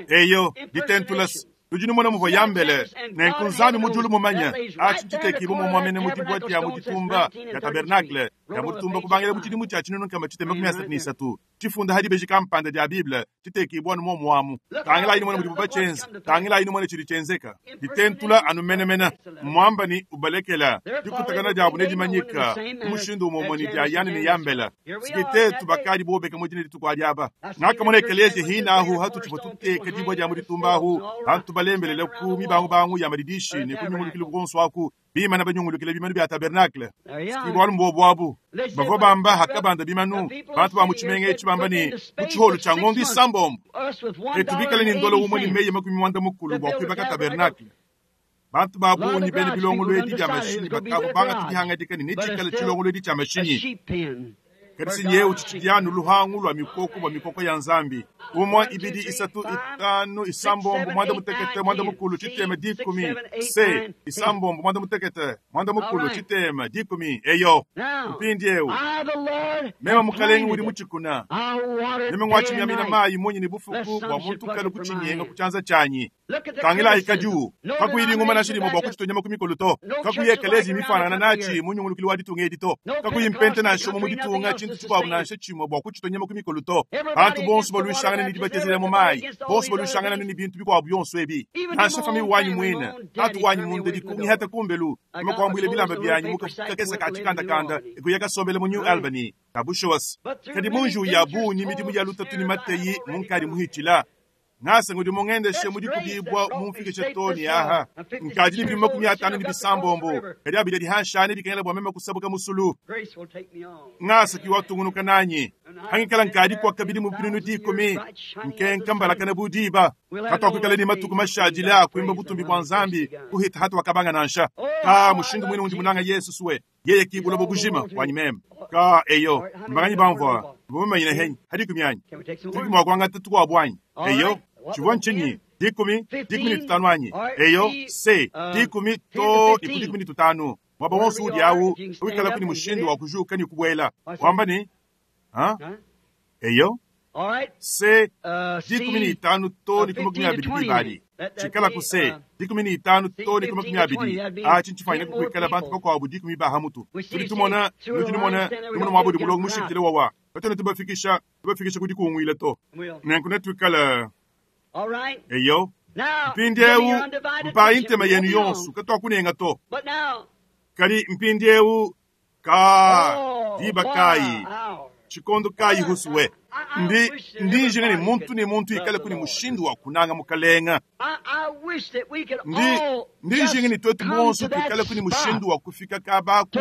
eyo ditentulas lujini mwana muvo yambele nenkunzami mujulu mumanya achi ntitekibo mumwamene mudibwa dia muditumba ya tabernacle ya muditumba kubangela muchidimu cha chinunu kama chiteme kumi asatu ni isatu chifunda hadi beji kampanda dia Bible chitekibwa numo mwamu tangila inu mwana mudibu bachenza tangila inu mwana chili chenzeka ditentula anu menemena mwamba ni ubalekela dikutakana diabu nedimanyika umushindu umomoni dia yani ni yambela sikitetu bakadi bobeka mudine dituku diaba ngakamona ekeleziya hinahu hatu chipo tuteka dibwa dia muditumba ahu bantu balembelele ku mibangu bangu ya madidishi ne kunyungulukile bukonso aku bimana banyungulukile bimanu bya tabernacle sikibwalu mbobwabu bavua bamba hakabanda bimanu bantu ba muchimenga echi bamba ni kuchiholo cha ngondo isambombo etubikale ni ndolo umwe ni meye makumi mwanda mukulu bwa kuibaka tabernacle bantu babunyi bene bilongolo edi bya mashinyi bakabo banga tudihangadika ni nechikala chilongolo edi cha mashinyi Kadi sinyewu tshitshidianu luhangu lwa mikoko bwa mikoko ya Nzambi. Umwe ibidi isatu itanu isambombo mwanda mutekete mwanda mukulu tshitema dikumi se isambombo mwanda mutekete mwanda mukulu tshitema dikumi eyo mpindiewu mema mukalenga udi muchikuna meme ngwachimyamina mayi munyi ni bufuku bwa muntu kale kuchinyenga kuchanza chanyi tangila ikadiu kakuyilinga nashilimo bwa kuchitonyama kumikolo to kakuyekelezi mifanana nachi munyungulukili wa ditunga edi to kakuyimpente nashomo mu ditunga chintu chikwabu nashe chimwe bwa kuchitonyama kumikolo to bantu bonso balwishangana ni dibatezela mu mayi bonso balwishangana ni bintu bikwabu byonso ebi nansha fami wanyi mwina tatu wanyi munda dikungihata kumbelu makwambwile bilamba byanyi mukakesa kachikandakanda ikuyakasombele mu New Albany kabushowas kadi munju ya bunyi midimu ya lutatu ni mateyi munkali muhichila ngasa ngudi mungendeshe mudi kubibwa mumfikishe toni aha nkadi ni bima makumi atano ni bisambombo kadi abili dihanshane dikengela bwa mema kusabuka musulu ngasa kiwatungunuka nanyi hangikala nkadi kwa kabili mu binunu dikumi nkenka mbalakana budiba katwakwikala ni matuku mashadile akwimba butumbi bwa Nzambi kuhita hatu wakabanga nansha ka mushindu mwene undi munanga Yesu suwe yeye kibula bobujima wanyi meme ka eyo mbanganyi bamvwa bumanyina henyi hadi kumyanyi tuki mwakwanga tatu bwanyi eyo chivwa nchinyi dikumi dikumi ni tutanu anyi eyo se dikumi to iku dikumi ni tutanu mwaba wonso udi awu wikala kuni mushindu wa kujuka ni kubwela wamba ni ha eyo se dikumi ni itanu to ni makumi abidi bibali chikala ku se dikumi ni itanu to ni makumi abidi achi nchifanyina kukwikala bantu bakwabu dikumi bahamutu tudi tumona nudi numona numona mwabudi mulongo mushikile wawa batona tubafikisha tubafikisha kudi kungwile to nenku netwikala eyo mpindiewu mpayi ntema yenu yonso katwakunenga to kali mpindiewu ka diba kayi chikondo kayi husuwe ndi ndinjinga ni muntu ni muntu ikale kuni mushindu wa kunanga mukalenga ndi ndinjinga ni twetu bonso tuikale kuni mushindu wa kufika kabaku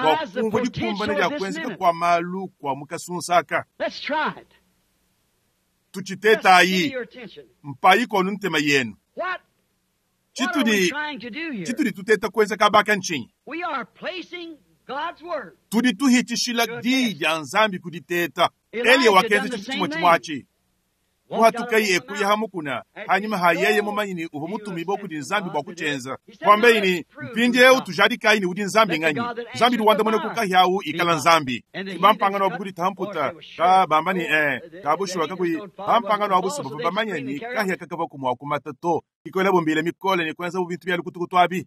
wa kumva dikumbana lya kwenzeka kwa malu kwa mukasunsaka tuchitetayi mpayi konu ntema yenu chitudi chitudi tuteta kwenza kabaka nchinyi tudi tuhitishila diyi lya Nzambi kuditeta Eliya wakenza chintu chimwe chimwachi kuhatukayi ekuya hamukuna hanyuma hayeye mumanyini uvo mutumibo kudi Nzambi bwa kuchenza kwambeini mpindiewu tujadikayi ni udi Nzambi ng'anyi Nzambi luwandamune kukahyawu ikala Nzambi bampangano wabu kudi tamputa ka bambani eh kabushuwa kakuyi bampangano wabu soba bamanyeni kahya kakava kumwa kumata to ikola bombile mikole ni kwenza bintu bya lukutukutu abi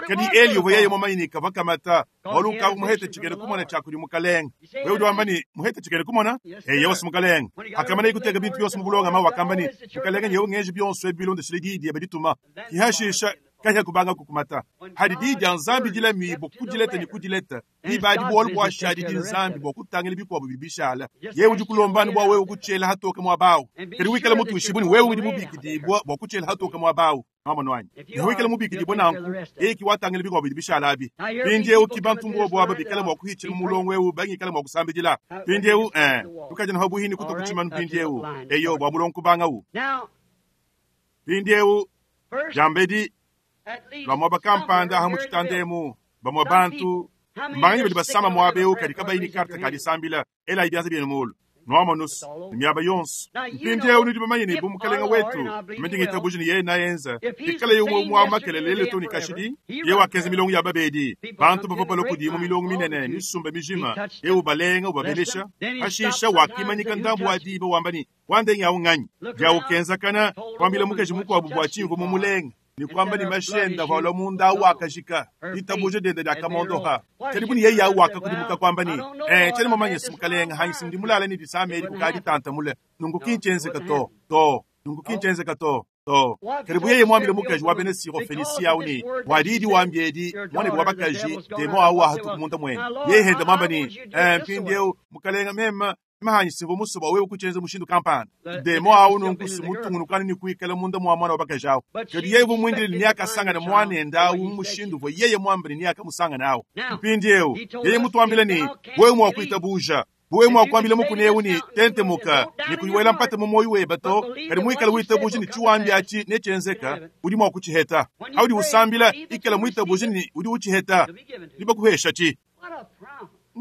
kadi Eliya uvo yeye mumanyini kava kamata waluka muhete chigere kumona chakuli mukalenga wewe udi wambani muhete chigere kumona eh yose mukalenga akamana ikuteka bintu byonse mubulonga ma wakambani mukalenga nyewe ngeje byonse ebilondeshele didi ebedituma kihashisha kahya kubanga kukumata hadi didi ya Nzambi dila mibo kudileta ni kudileta ibadi bwolu bwashadi di Nzambi bwa kutangela bikwabo bibishala yewe udi kulombani bwa wewe kuchela hatoka mwabawu kadi wikala mutu ushibuni wewe udi mubikidibwa bwa kuchela hatoka mwabawu mama nwanyi newikala mubikidibwa nanku eki watangela bikwabo bibishala abi pindiewu kibantu mbobo aba bikala mwa kuhichila mulongo wewu bangikala mwa kusambidila pindiewu eh tukaja na buhini kuto kuchimanu pindiewu eyo bwa mulongo kubangawu pindiewu jambedi lwamwa bakampanda aha muchitandemu bamwa bantu mbanganyi badi basama mwabeu kadi kabayini karta kadisambila ela ibyanza byenu mulu nwama nusu ni myaba yonso mpindiewu nudi bamanyini bu mukalenga wetu mendingitabuji ni yeye nayenza ikala yumwe mwa makelele to ni kashidi ye wakenza milongo ya babedi bantu bava balokudi mu milongo minene misumba mijima ye ubalenga ubabelesha hashisha wakimanyika ndambu wa diba wambani wandenge awu ng'anyi dyawukenzakana kwambila mukeji mukwabu bwa chimvu mumulenga ni kwamba ni mashenda valwa munda awu akashika litabuje dende lyakamondoha kadi buni yeyi awu akakudimuka kwamba ni eh chali mamanye simukalenga hanyi simdi mulala ni disameli kukadi tanta mule nungu kinchenzeka to to nungu kinchenzeka to to kadi buyeye mwambile mukaji wa bene siro fenisia awu ni wadidi wambyedi mwane bwa bakaji demo awu ahatu kumunda mwene yeye henda mwamba ni eh mpindiewu mukalenga mema mahanyi simvo musoba wewe kuchenza mushindu kampani demo awu nonkusi mutungunukani ni kuikala munda mwa mwana wabakajawo kadi yeye vumwindile ni akasangana mwanenda awu mushindu vo yeye mwambile ni akamusangana awu mpindiewu yeye mutwambile ni wewe mwakuitabuja wewe mwakwambile mukunewu ni tentemuka ni kuyiwela mpate mumoyi weba to kadi mwikala witabuji ni chiwambi achi nechenzeka udi mwakuchiheta audi usambila ikala mwitabuji ni udi uchiheta libakuhesha chi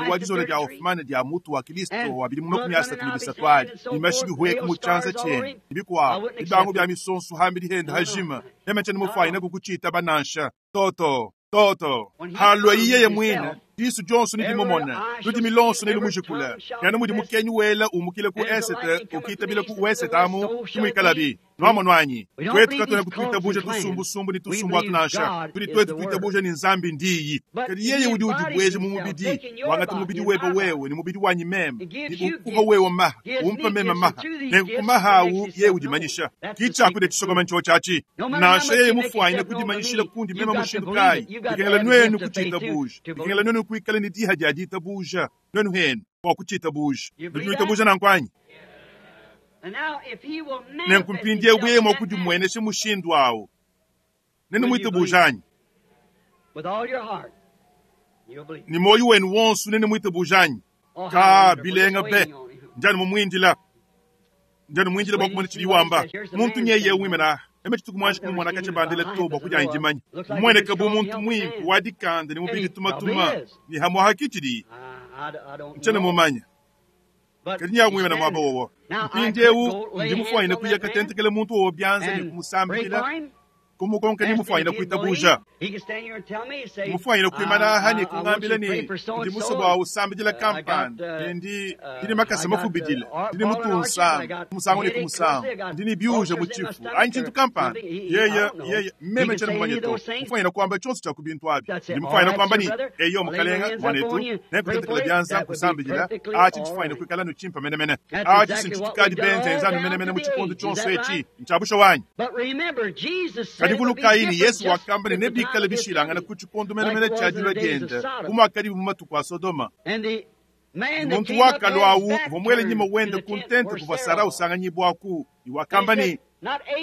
Anu wa dizola dia Hoffman dia mutu wa Kilisto wa bidimu makumi asatu ne bisatu adi ne mashi bihueka mu tshianza tshiende ne bikuabu bibangu bia misonso hambi dihenda hajima meme tshiena mufuanyine kukutshiitaba nansha toto toto halua yeye mwine Disu dionso nidimumona ludimi lonso nilumujikula yana mudi mukenyi wela umukile ku esete ukitabila ku wesete amu tumwikalabi nwamonwanyi twetu katwena kutuitabuja tusumbusumbu ni tusumbu atu tudi twetu tuitabuja ni nzambi ndiyi kadi yeye udi udibweja mu mubidi wangati mubidi weba wewe ni mubidi wanyi meme ni ukuha wewe maha umpa meme maha nenkumahawu yeye udimanyisha kichakude chisokoma ncho chachi nansha yeye mufwanyine kudimanyishila kundi meme mushindu kayi bikengela nwenu kuchitabuja bikengela nwenu kuikala ni diha dia ditabuja nwenu henu kwa kuchitabuja nituitabuja nankwanyi nenkumpindie bwema kudimweneshe mushindu awo nene mwitabujanyi ni moyo wenu wonsu nene mwitabujanyi ka bilenga be njani mumwindila njani mwindila bwakumona chili wamba muntu nyeye wimena eme chituku mwanji kumumona kache bandile to bwakuja injimanyi mweneka bu muntu mwimpu wadikanda ni mubili tumatuma ni hamwa hakichili nchene mumanya kadi nyamwimena mwaba wowo mpindiewu ndimufwanyine kuya katentekele muntu wowo byanza ni kumusambila kumukonka nimufwanyine kuitabuja mufwanyine kuimana aha ni kungambila ni ndi musobo usambijila kampani ndi ndini makasa mafubidile ndini mutunsamba kumusango ni kumusango ndini byuja muchifu ayi nchintu kampani yeye yeye mmeme chene mumanye to mufwanyine kuamba chonse cha kubintu abi ndi mufwanyine kuamba ni eyo mukalenga mwanetu nekutetekela byanza kusambijila achi nchifwanyine kuikala nuchimpa menemene achi sinchitukadi benze enzanu menemene muchikondo chonse echi nchabusha wanyi kadi vulukaini yesu wakamba ne nebikale bishilangana ku chikondo menemene cha dilwa dienda kumakadi mumatuku a sodoma muntu wakalwawu vomwele nyima wende kuntente kuva sara usanganyibwaku iwakamba ni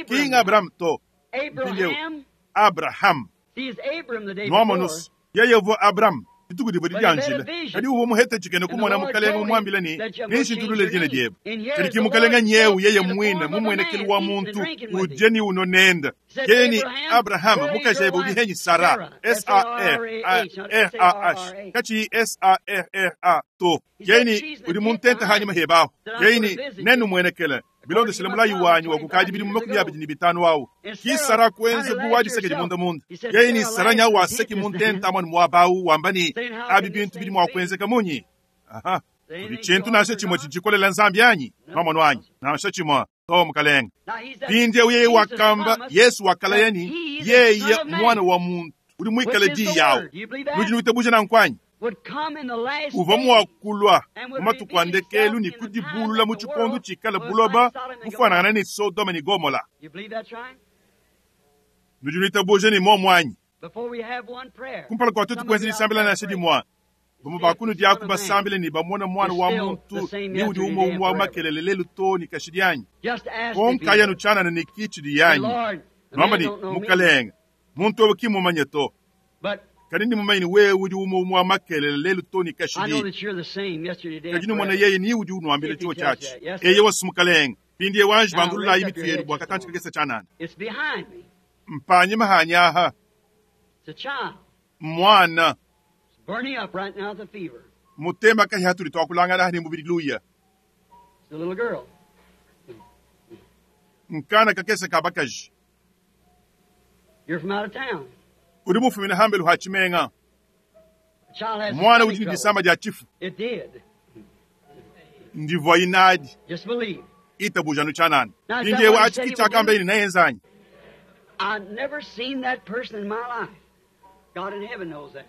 kinga abrahamu to mpindiewu abrahamu nwamonusu yeye vo abrahamu dituku divo didianjile kadi uvo muhete chikene kumona mukalenga mumwambile ni ninshintulule dina diebe kadi kimukalenga nyewu yeye mwine mumwenekeli wa muntu uje ni uno nenda yeye ni abrahamu mukajebe udihenyi sara s a r r a h kachi s a r r a to yeye ni udi muntente hanyuma hebaho yeye ni nenu mwenekele bilondeshele mulayi wanyu wakukaji bili mumakumi abiri ni bitano awo kisara kwenze buwadiseke munda munda yeye ni sara nya waseki muntente amwani mwabawu wamba ni abi bintu bili mwakwenzeka munyi aha kuli chintu nashe chimwe chichikolela nzambi yanyi mamwano wanyi nashe chimwe to mukalenga pindie yeye wakamba yesu wakala yani yeye mwana wa muntu uli mwikale di yawo ludi nuitabuja na nkwanyi uva mwakulwa mumatuku andekelu ni kudibulula mu chikondo chikala buloba kufanana ni sodoma ni gomola nudi nuitabuja ni momwanyi kumpala kwa tutu kwenzi nisambila nashe dimwa bamo bakunu diaku basambile ni bamona mwana wa muntu ni udi umo umwa wa makelele lelu to ni kashidi yanyi konka yanu chanana ni kichidi yanyi nwamba ni mukalenga muntu obo kimumanye to kadi ni mumanyi wewe udi umo umwa makelele lelu to ni kashidi kadi numona yeye ni udi unwambile chuo chachi eye wasu mukalenga pindi ewanji bandulula imitu yenu bwa katanchi kagesa chanana mpanye mahanyaha mwana Burning up right now with a fever. mutema kahi hatuli twakulangana hani mubili luya It's a little girl. nkana kakesa kabakaji You're from out of town. uri mufumina hambelu hachimenga The child has mwana stomach udi ni trouble. disamba dia chifu It did. ndivwa inadi Just believe. itabujanu chanana Now, is that pindi what he achi said he would kichakamba do? ini nayenzanyi I've never seen that person in my life. God in heaven knows that.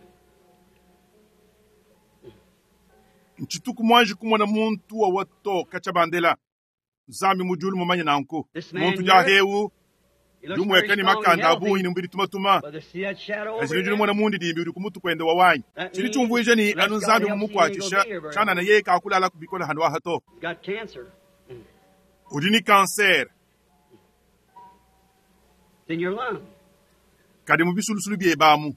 nchituku mwanji kumona muntu wa watoka chabandela nzambi mujulu mumanye nanku This man muntu here, jahewu He looks very jumweka ni strong and makanda healthy. abuhi ni mbili tumatuma But to see that shadow over azili there, mwana mundi dimbi uri kumutu kwenda wawanyi That chili means chumvuije ni unless anu God nzambi helps him, mumukwatisha he ain't gonna be here very chanana long. yeye kakulala kubikola hanu ahato he's got cancer. uri ni cancer It's in your lung. kadi mu bisulusulu byebamu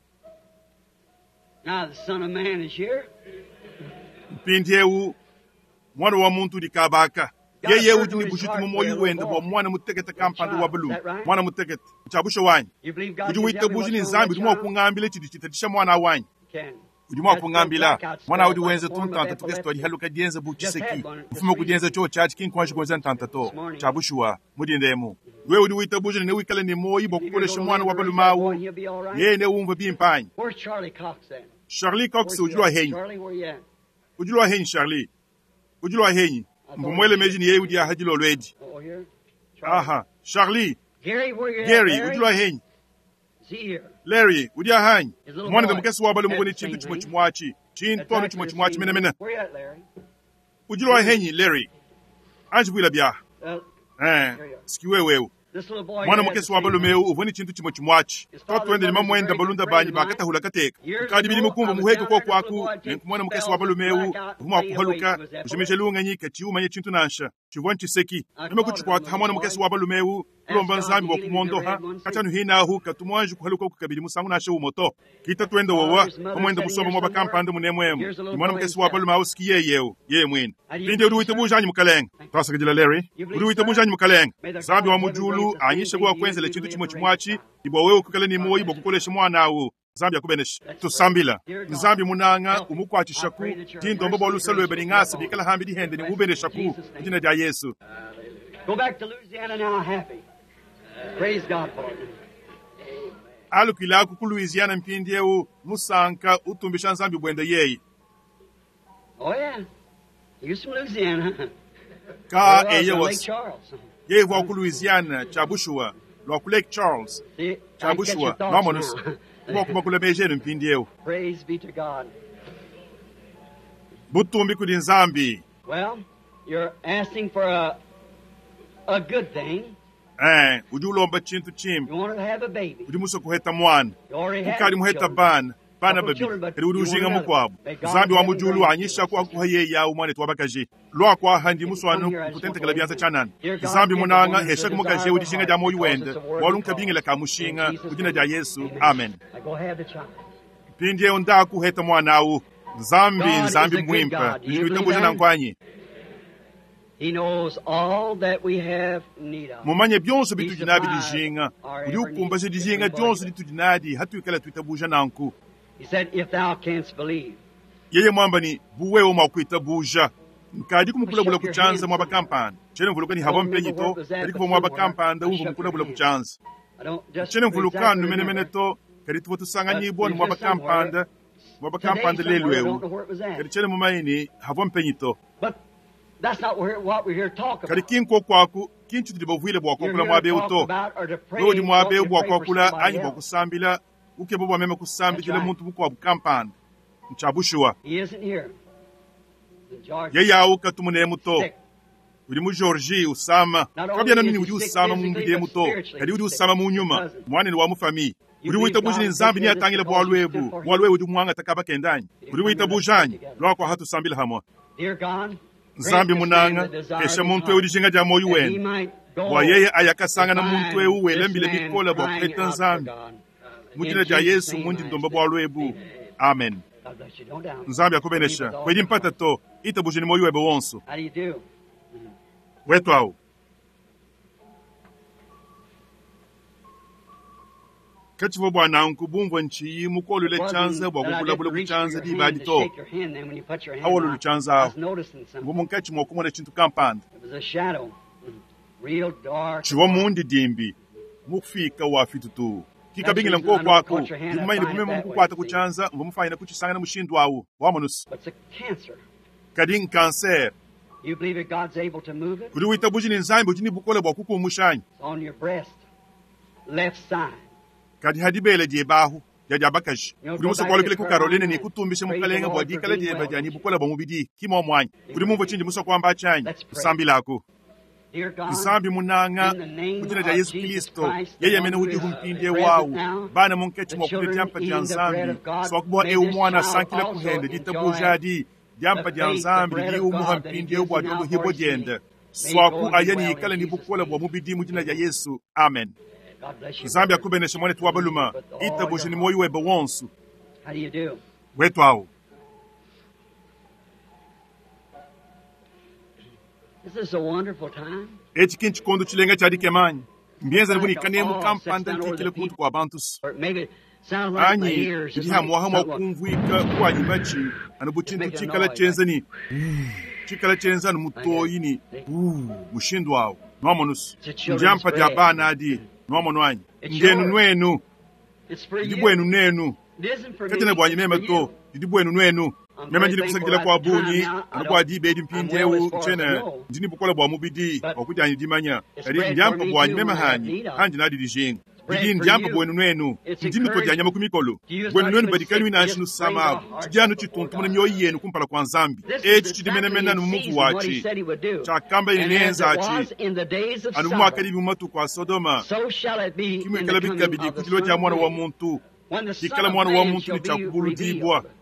Now the Son of Man is here. mpindiewu mwana wa muntu udi kabaka yeye udi ni bushitu mu moyo wende bwa mwana mutekete kampanda wa bulu mwana mutekete chabusho wanyi You believe God udi can tell me witabuji what's ni wrong nzambi with udi mwa that child? kungambile chidi chitatisha mwana wanyi He can. Udi mua kungambila mwana udi wenza tuntanta tukese twadihaluka dienza bu tshiseki mfumo kudienza cho chachi kinkwanji kuenza ntanta to cha bushuwa mudindemu wewe udi witabuja ne wikale ne moyi bwa kukolesha mwana wa balumawu yeye ne umva bimpanyi. Charlie Cox udi lwa henyi udi lwa henyi Charlie udi lwa henyi mbumwele meji ni yeye udi ahadilo lwedi. Aha Charlie Gary udi lwa henyi Larry udi ahanyi mwana da mukesi wa balumu ni chintu chimwe chimwachi chintu anu chimwe chimwachi mena mena udi lwa henyi Larry anji bwila bya eh sikiwe wewe mwana mukesi wa balume uvoni chintu chimwe chimwachi twatwende ni mamwenda balunda banyi bakatahula kateka kadi bili mukumva muheke kwa kwaku nenkumwana mukesi wa balume uvuma kuhaluka ujimeje lunganyi kachiumanye chintu nansha chivon chiseki nime kuchikwata hamwana mukesi wa balume kulomba nzambi wa kumondoha kachanu hinahu katumwanji kuhaluka kukabili musangu nashe umoto kita twende wowa pamwenda musomba mwa bakampanda munemwemo mwana mukesi wa balume ausikiye yewu ye mwene pindi uri wita bujanyi mukalenga twasakajila Larry uri wita bujanyi mukalenga zambi wa mujulu anyishe gwa kwenzele chintu chimwe chimwachi ibwa wewe kukale ni moyi bwa kukolesha mwana awu Nzambi akubenesha tusambila Nzambi munanga umukwachishaku tindombo bwa lusalwebe ning'asi bikala hambi dihende ni ubeneshaku jina lya Yesu. Go back to Louisiana now happy. Praise God for it. Alukilaku ku Louisiana mpindi eu musanka utumbisha Nzambi bwende yeyi. Oh yeah. He was from Louisiana. Ka Well, eye from Lake was Charles. yeye wa ku Louisiana cha Bushua lwa ku Lake Charles See, cha I catch your Bushua thoughts mamonus now. kwa kuma kula mejeni mpindi eu Praise be to God. butumbi kuli Nzambi. Well, you're asking for a a good thing. Eh udi ulomba chintu chimbi You want to have a baby. udi muso kuheta mwana You already have ukali muheta children. bana bana Couple babiri children, but eri udi you want ujinga another. mukwabo May God Nzambi wa have mujulu grace. anyisha ku akuha yeya umwana twabakaje lwakwa handi muswanu kutentekela byanza chanana Nzambi munanga hesha kumukaje udi jinga lya moyo wende walunka bingela ka mushinga kujina lya Yesu amen. Now go have the child. Pindi eyo ndakuheta mwana awu Nzambi God is Nzambi a good mwimpa God. Do you believe ndikuitambuja that? nankwanyi He knows all that we have need of. mumanye byonso He bitudi nabi supplies dijinga our udi every ukumbaje need. dijinga Everybody. dyonso litudi nadi hatuikala tuitabuja nanku He said, if thou canst believe. yeye mwamba ni buwewe mwakuitabuja nkadi kumukulabula Shake your kuchanza hands. mwaba kampanda chene mvuluka ni hava Don't remember mpenyi to where it was at, kadi but kuva mwaba somewhere kampanda I umva shook your mukulabula hand. kuchanza I don't just chene mvulukanu exactly menemene remember. to kadi tuva But tusanganyibwa ni it's mwaba just somewhere. kampanda mwaba Today kampanda somewhere, lelu I don't ewu know where it was at. kadi chene mumaini hava mpenyi to But that's not where, what we're here to talk kadi about. kinko kwaku kinchu tudi bavwile bwa You're kwakula here to mwabeu talk to about or to pray, wewe udi mwabeu want to bwa pray for kwakula somebody anyi bwa else. kusambila ukebo bwa meme That's kusambikila right. muntu bukwabu kampanda nchabushuwa He isn't here. He's in Georgia. yeye awu katumunemu to Sick. udi mu Georgie usama Not only kabyana is nini he udi sick usama mu physically, mubiri but to spiritually kadi udi he's sick. usama mu nyuma Cousin. mwanene wa mufami You udi believe witabuja God ni will Nzambi take ni care of this atangile because bwalu you stood ebu for him. bwalu ebu udi mwanga takaba kendanyi He didn't udi come here to pray witabujanyi together. lwako hatusambila hamwe Dear God, grant Nzambi this man munanga the desire of kesha his muntu ewu heart, dijinga lya moyo that he wene might go bwa yeye to ayakasanga na muntu find ewu this welembile man bikola bwa crying kuheta out for Nzambi God. mu In jina lya Jesus' Yesu name mundi I ndomba ask it. bwalu ebu Amen. amen. God bless you. Don't doubt. Nzambi Believe akubenesha with all kwedi your mpata heart. to itabuje ni moyo webe wonso How do you do? wetu awu kachivo bwananku bumvwa nchiyi It mukolule chanza wasn't bwa that I didn't kukulabula reach for kuchanza your hand dibadi to to shake your hand then when you put your hand awolulu out. chanza I awo was noticing mbu something. munkachi mwakumona chintu kampanda It was a shadow. Real dark. chivo mundi dimbi mukufika wafitutu That's the kikabingila reason I nko know I kwaku caught your hand. I ndikumaine find it kumema that way, mukukwata you see. kuchanza mbu mufaina kuchisangana mushindu awu wamonusi But it's a cancer. kadi nkanser You believe that God's able to move it? kuli witabuji ni nzambi udi ni bukole bwa kukumushanyi It's on your breast, left side. kadi hadibele dyebahu lya bakaji You know, kuli go back to musokwalukile ku Carolina Carolina ni and kutumbisha praise the mukalenga bwa Lord for dikala being dyeba well. dyani bukola bwa mubidi kimo mwanyi kuli mumvo chindi musokwamba achanyi Let's pray. kusambilako Dear God, Nzambi munanga in the name mu jina lya of Yesu Jesus Kristo Christ, the yeye one amene who udi is humpindye present wawu now, bana munkechi the mwakule children dyampa dya eating the bread Nzambi of God, swakubowa may ewu this mwana child asankila also kuhende enjoy ditabujadi dyampa the dya faith, the Nzambi bread lili of umuha God that he mpindye gives bwa now dyondo for hibo his healing. dyende May he go swaku and be ayani well in yikala ni Jesus' bukola bwa name. mubidi mu jina lya Amen. Yesu amen. God bless you, Nzambi brother. akubenesha mwane Believe tuwabaluma with all your itabuje ni heart. moyo webe wonso How do you do? wetu awo This is a wonderful time. eci kinchikondo chilenga chadikemanyi mbienza Like nibunikane all sits mukampanda down over ntikile the kuntu people, kwa bantu or maybe Sounds like my Anyi ears. didi Just like hamuaha mua someone. kumvuika kuanyi matshi anu bu tshintu tshikala tshienza ni tshikala tshienza anu mutoyi ni mushindu awu nwamonusu ndiampa dia bana adi nwamonu anyi ndenu nwenu It's for didi you. bwenu nenu It isn't for me. katene bwanyi It's meme for to you. didi bwenu nwenu I'm meme very ndili thankful kusakidila at kwa the time bunyi now. I anu don't. bwa diba edi I'm well mpindiewu as far as I tshene know. ndini bukola bwa mubidi But bwakudyanyi dimanya it's kadi bread for ndiampa me bwanyi too meme when I have hanyi need of. hanji nadi dijinga It's bread didi for ndiampa you. bwenu nwenu It's ndi mito dya nyama encouragement. ku mikolo To you, it's bwenu not nwenu even badi sick. kali It winanshi just brings nusama our abo hearts chidyanu up before chituntumuna God. myoyo yenu kumpala kwa nzambi This is eci chidi exactly menemene in anu mumuvu season what he wachi said he would do. chakamba ine And as nenza it achi was in the days of anu Sodom, mwakali bimumatuku a Sodoma so shall it be in the kimwikala coming bikabidi of the kutilo Son dia of mwana wa Man. muntu When the Son dikala of mwana wa Man muntu shall ni be chakubuludibwa revealed.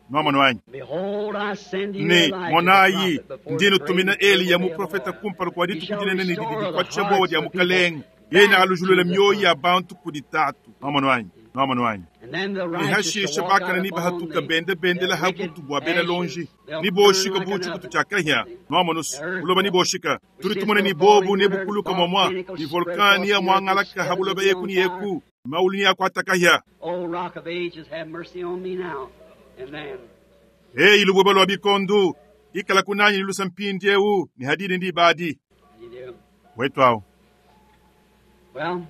nwamonu wanyi Behold, I send you ne Elijah the monayi prophet before the ndinu great tumina and terrible Eliya day of the muprofeta Lord. kumpala kwa He dituku shall dinene ne didi restore the dikwatisha bwawa hearts dia of the people mukalenga yena back to alujulula the myoyo ya Father. bantu kudi tatu nwamonu wanyi nwamonu wanyi And then the ne righteous hashisha shall walk out bakana ni upon bahatuka the, bende the bendela wicked hakutu bwa bena ashes. lonji They'll ni burn boshika like an buchi kutu oven. chakahya nwamonusu The earth buloba ni will. boshika We turi see it's tumone going ni to fall bobu in ne the earth, bukuluka mwamwa volcanic ni will spread across volkani the ya earth and mwangalaka set habuloba it yeku on ni fire. yeku maulu ni yakwatakahya O rock of ages, have mercy on me now. And then, eyi lubweba lwa bikondu ikala kunanyi lilusa mpindi ewu ni hadidi ndi ibadi you do. wetu awo Well,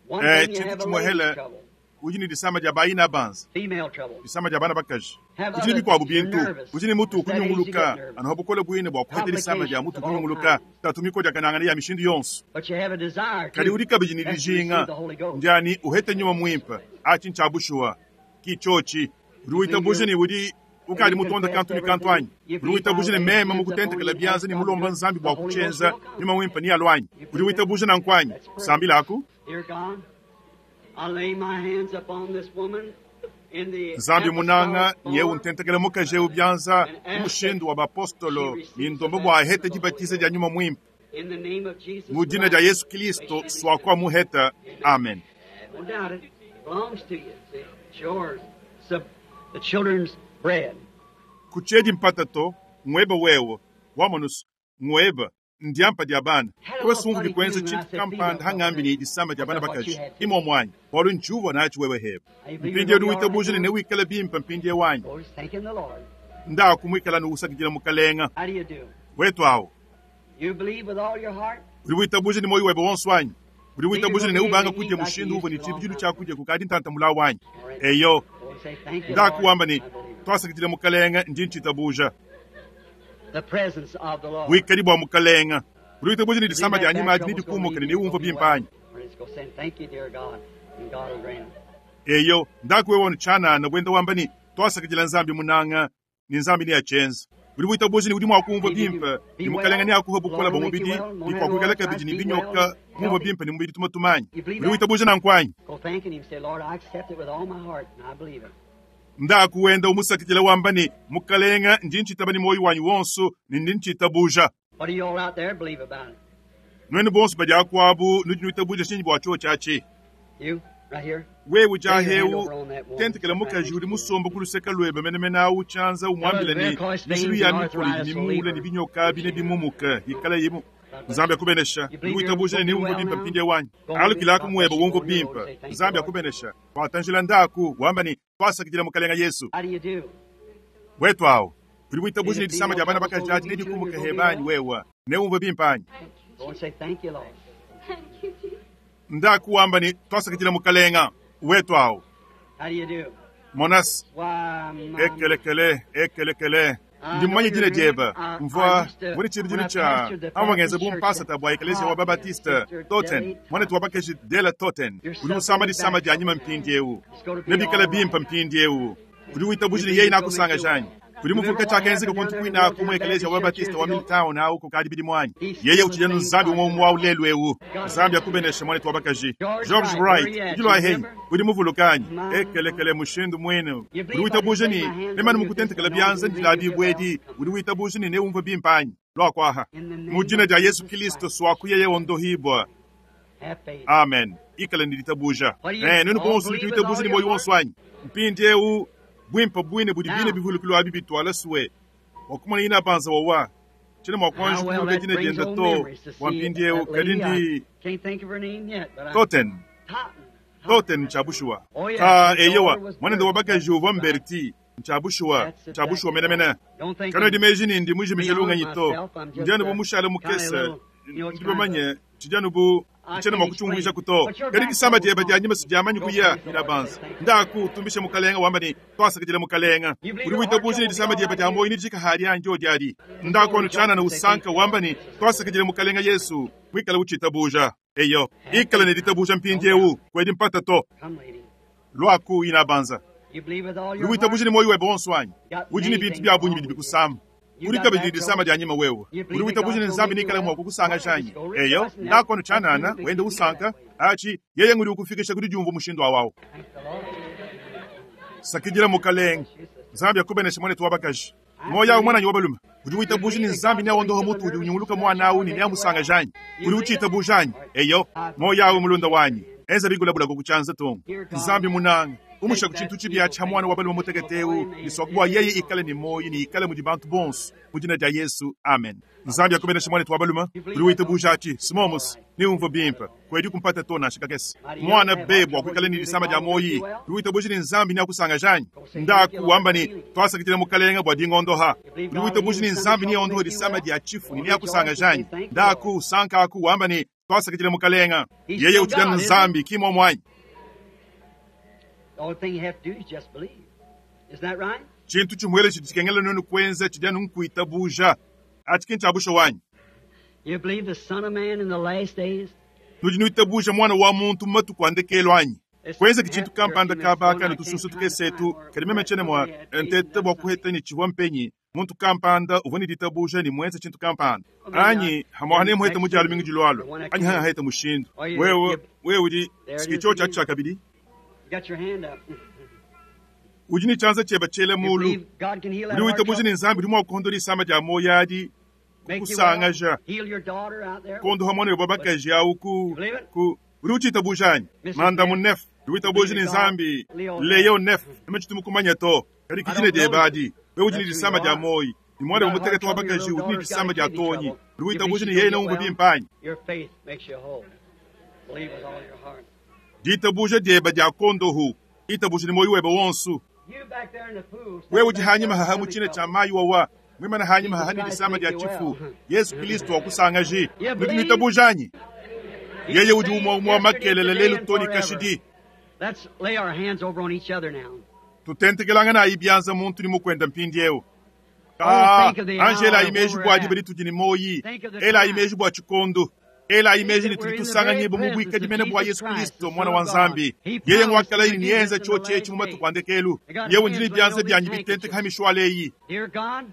one eh thing you chintu have a lady's chimwehele trouble, uji ni disama dia bayina banza female trouble. disama dia bana bakaji Have uji ni other bikwabu things. You're bintu nervous. uji ni mutu It's that age you get ukunyunguluka nervous. anoho bukole bwine bwa kuhete disama dia Complications mutu of all kunyunguluka kinds. tatumiko dia kanangana ya mishindu yonso But you have a desire kadi too. udi kabidi ni That's to receive dijinga the Holy Ghost. ndiani uhete nyuma mwimpa achi nchabushuwa kichochi uri You believe witabuje you're, ni udi ukali you mutonda confess kantu ni kantu everything. anyi You uri believe I witabuje ni lay mema hands upon mukutentekela you and byanza ask ni God to do mulomba it. nzambi The bwa Holy Ghost kuchenza will come. nyuma mwimpa ni alwanyi You uri believe that? witabuje na nkwanyi Let's pray. sambila aku Dear God, I lay my hands upon this woman in the nzambi munanga apostolic nyewu form ntentekele mukaje ubyanza and ask that umushindu wa she bapostolo ni receives the ndombo bwa baptism hete of the Holy dibatiza dia Ghost. nyuma mwimpa In the name of Jesus mu jina dia Christ, Yesu may Kristo she swakwa receive. muheta Amen. amen Don't doubt it. It belongs to you. See, it's yours. It's the, the children's bread. kuchedi mpata to ngweba wewo wamonusu ngweba ndiampa dia bana Had a towe little sungu funny dikwenza feeling when I chintu said female kampanda trouble. hang'ambi ni disama dia I bana thought what you bakaji had too. imo mwanyi walu nchuva nachi wewe heba Now you believe you're mpindi going to edu be all right witabuje now? ne wikala bimpa mpindi ewanyi Go just thanking the Lord. ndakumwikala nuusakidila mukalenga How do you do? wetu awo You believe with all your heart? uri witabuje ni moyo webe wonso wanyi uri Think you're witabuje going ne to be able ubanga to kudya eat like you mushindu used uvo to ni a long chibijilu time cha ago? kudya kukadi ntantamula wanyi All right. eyo Go and say, thank you, Lord. ndakuwamba ni I believe it. twasakidila mukalenga ndi nchitabuja The presence of the Lord. bwikali bwa mukalenga uri witabuje ni You believe disama that lya back nyima adi trouble's going to nidikumuka leave ni you and niwumva go be well. bimpanyi Or just go saying, thank you, dear God, and God will grant it. eyo ndakuwewa nchanana bwenda wamba ni twasakidila nzambi munanga ni nzambi ni yachenza uri witabuje ni udi mwakumva Believe you bimpa do. ni Be mukalenga well. ni akuha The bukola Lord bwa will make you mubidi well. ni Won't have no kwakwikala arthritis. kabidi ni Be well binyoka and kumva healthy. bimpa ni mubidi tumatumanyi You believe uri that? witabuje na nkwanyi Go thanking Him. Say, Lord, I accept it with all my heart, and I believe it. ndakuwenda umusakidila wamba ni mukalenga ndi nchitaba ni moyo wanyu wonso ni ndi nchitabuja What do you all out there believe about it? nwenu bonso badyakuabu nudi nwitabuja shinyi bwa cho chachi You, right here? wewe Lay your hand jahewu over on that woman tentekela right mukaji next uri to you. musomba kuluseka lwebe menemene awu chanza Tell her umwambila the ni varicose mishilu veins ya and mikoli arthritis will leave mimule ni her. binyoka bine bimumuka ikala yimu God bless nzambi you. akubenesha You uri believe you're witabuje going ni to be niwumva well bimpa now? mpindi wanyu Go on, alukila God bless akumweba you. Go wumva on your road and bimpa say, thank you, nzambi Lord. akubenesha watanjila ndaku wamba ni twasakidila mukalenga yesu How do you do? wetu awo uri See witabuje the ni disama female lya bana trouble's going to bakajaji leave you too, and nedikumuka you're going to be hebanyi well? wewa newumva bimpanyi Go and say, thank you, Lord. Thank you, Jesus. ndakuwamba ni twasakidila mukalenga wetu awo How do you do? monas Why, my, ekelekele ekelekele I ndi know mmanye your jina name. jeba I, I mvwa used to, muri chiri when jina I cha pastored the amwangenze Baptist church bumpasa at tabwa ekelesia wa Totten, babatista Sister toten Deli mwana Totten. tuwabakeshi dela toten You're uri musama suffering disama back lya nyima trouble now. mpindi ewu It's going to be nebikala all bimpa right. mpindi ewu uri You witabuje believe yeye it's going to nakusanga make you janyi well. uri Remember muvuka what chakenzeka happened down konti there in kwina Milltown kumwe ekelesia Baptist wa Church batista years wa ago? Milltown awu kukadi bidi mwanyi He's yeye still the uchijana same nzambi God umwe umwe today. ulelu ewu God nzambi bless you. akubenesha mwana tuwabakaji George George Wright, where Wright you at? You ujilwa henyi remember? uri muvulukanyi My, my. ekelekele mushindu mwene You uri believe I just witabuje lay ni my hands on nemani you at this mukutentekela anointing byanza and ndila you get well? bibwedi uri witabuje ni newumva bimpanyi lwakwaha In the mu name jina of lya Yesu Jesus Kristo Christ, swakuyeye ondohibwa have faith. amen ikala ndilitabuja What do you eh nunu all bonso believe with ndilitabuja all ni your moyo heart? wonso wanyi mpindi ewu bwimpa bwine budi bine Now, bivulukilo abi bitwala suwe wakumana ina banza wawa chine how mwakonje well kuluka that jina brings jenda old to memories to see wampindi ewu that lady. I kalindi can't think of her name yet, but I toten Totten. Toten chabushuwa ka eyewa mwanende wa bakaji uvwa mberti nchabushuwa nchabushuwa menemene kano dimeji nindi mujimije lunganyi to ndianu bu mushale mukese ndi bamanye tijanu bu nchena mwakuchungulisha kuto kadi disamba dieba dia nyima sidiamanyi kuya ina banza ndaku tumbishe mukalenga wamba ni twasakidile mukalenga uri witabuji ni disamba dieba dia moyi nijika hali anjo diadi ndaku anu chana na usanka wamba ni twasakidile mukalenga Yesu mwikala uchitabuja eyo ikala ni ditabuja mpindiewu kwedi mpata to lwaku ina banza uri witabuji ni moyi webe wonso wanyi udi ni bintu bya bunyi bidi bikusamba uri kabidi disamba dia nyima wewe uri witabuji ni nzambi nikala mwa kukusanga shanyi eyo ndakono chanana wende usanka achi yeye nguri ukufikisha kuri jumvu mushindo wawo sakidira mukalenga nzambi yakubenesha mwana tuwabakaji moya umwana nyobaluma uri witabuji ni nzambi ne ondoho mutu uri unyunguluka mwana awu ni nyamusanga janyi uri uchita bujanyi eyo moya umulunda wanyi enza bigulabula kukuchanza tongo nzambi munanga umusha kuchintu chibya cha mwana wa baluma muteketewu nisokubwa yeye ikale ni moyi ni ikale mudi bantu bonso mudina dia Yesu amen nzambi yakubenesha mwana twabaluma uri witabuja ati simomus ni umvo bimpa kwedi kumpata tona shikakesi mwana bebwa kwikale ni lisamba dia moyi uri witabuja ni nzambi ni akusanga janyi ndaku wamba ni twasakitile mukalenga bwa dingondoha uri witabuja ni nzambi ni ondoho lisamba dia chifu ni akusanga janyi ndaku sanka aku wamba ni twasakitile mukalenga yeye utidana nzambi kimo mwanyi The only thing you have to do is just believe. Isn't that right? Chintu chimwele chitikengela nunu kwenza chidanu nkuitabuja. Ati chabusha wanyi. You believe the Son of Man in the last days? Nudi nuitabuja mwana wa muntu matuku andekelo anyi. Kwenza kichintu kampanda kabaka nutususu tukesetu kadimeme chene mwa entete bwa kuheta ni chivwa mpenyi muntu kampanda uvoni ditabuja ni mwenza chintu kampanda anyi hamwane muheta mujalu mingi jilwalo anyi hanga heta mushindu wewe wewe udi sikicho cha cha kabidi You got your hand up. udi ni chanza cheba chele You mulu believe God can heal that uri heart witabuja trouble? ni nzambi uri mwakuhondola isamba dia moyadi Make you kusangaja well? Heal your daughter out there? kondoha mwana wabakaji awu ku ku uri uchitabuja anyi manda munef uri witabuja ni nzambi leyo nef amechitumukumanya to kali kijine debadi wewe udi ni disamba dia moyi ni mwana wa mutekete wabakaji udi ni disamba dia tonyi uri witabuja ni yeye na umvu bimpanyi Your faith makes you whole. Believe with all your heart. ditabuja dieba dia kondohu itabuja ni moyi webe wonsu You back there in the pool. wewe udi hanyuma haha muchine cha mayi wawa mwimana hanyuma haha ni disamba dia chifu Yesu Kristo wakusangaji nudi mwitabujanyi yeye udi umwa umwa makelele lelu toni kashidi Let's lay our hands over on each other now. tutentekelanga na ibyanza muntu ni mukwenda mpindiewu Ah, angela ayimeji bwa dibali tudi ni moyi ela ayimeji bwa chikondo ela ayimeji ni tudi tusanga nyimbo mu bwika dimene bwa Yesu Kristo mwana wa nzambi yeye ngwakala ini niyenza choche echi mu matuku andekelu yewe ndini byanza byanyi bitenteka hamishwale eyi Dear God,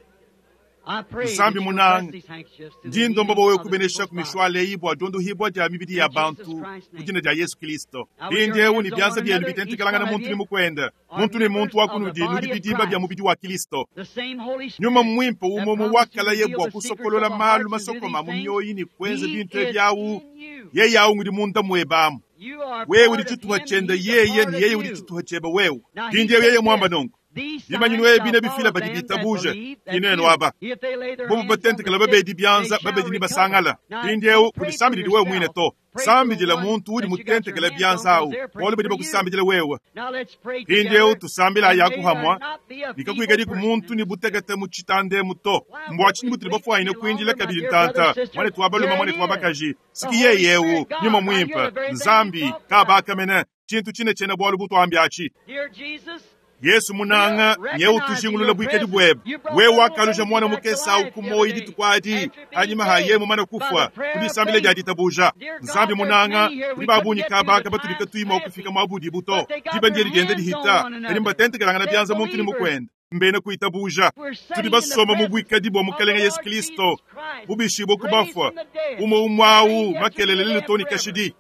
I pray Nzambi that you'll bless munanga these handkerchiefs to the ndi ndomba healing bowe of the kubenesha people's ku mishwale eyi bwa dondo hibwa dia mibidi ya bantu kujina dia Yesu Kristo mpindiewu ni byanza byenu bitentekelanga na muntu ni mukwenda muntu ni muntu wakunudi nudi bidimba bya mubidi wa Kristo The same Holy Spirit nyuma mwimpo that umomo promised to wakala reveal yebwa the secrets kusokolola of our malu hearts and do masokoma these mu things, myoyi ni kwenza He bintu is ebyawu in you. yeye awu ngudi munda mwebamu You are wewe part uli of chituha him, chenda he's a yeye part ni of yeye uli you. chituha cheba wewe Now he mpindiewu said yeye mwamba this, nongo These Bimanyi signs nwe shall bine follow bifila badi them that bitabuje believe, that's ineno you. aba If they lay their bobo hands on the batentekela sick, babedi they byanza shall babedi ni recover. basangala Now, mpindiewu don't pray for kudisambidili wewe mwine yourself. to Pray for the sambidila one muntu uli that you got your mutentekela hands on, byanza 'cause awu they're praying bolu badi for you. bakusambidila wewe Now let's pray mpindiewu together. tusambila And may there yakuhamwa not be a feeble nikakwikadi ku person muntu in ni this butekete mu chitande muto Why mbwa would chini we butuli wait bafwaine any kwinjila longer, my kabili dear ntanta brother, sister? mwane twabaluma Here mwane it is. twabakaji The siki Holy yeyewu Spirit, God, nyuma right here, mwimpa the very thing we nzambi talked about. kabakamene chintu chine chene bwalu butwambi achi Dear Jesus, Yesu munanga nyewu tujingulula bwikedi bwebe wewe wakalusha mwana mukesa ukumoyi ditukwadi hanyuma haye mumana kufwa kudisambile dia ditabuja nzambi munanga kuli babunyi kabaka batulika tuima okufika mwabudi buto diba ndiye ligende lihita kali mbatentekelanga na byanza muntu ni mukwenda mbene kuitabuja tuli basoma mu bwikadi bwa mukalenga Yesu Kristo bubishibwe kubafwa umo umwawu makelele lilutoni kashidi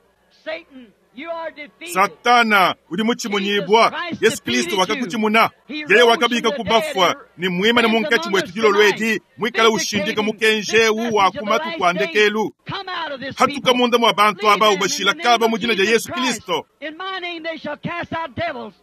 Satan, you are defeated. Satana uli muchimunyibwa Yesu Kristo wakakuchimuna yeye wakabika kubafwa ni mwima ni munkachi mwetu jilo lwedi mwikala ushindika mukenjewu wakumatu kwandekelu Come out of this hatuka people. munda mwa bantu Leave aba them in ubashila the name kaba of mu jina lya Jesus Yesu Christ. Kristo In my name they shall cast out devils.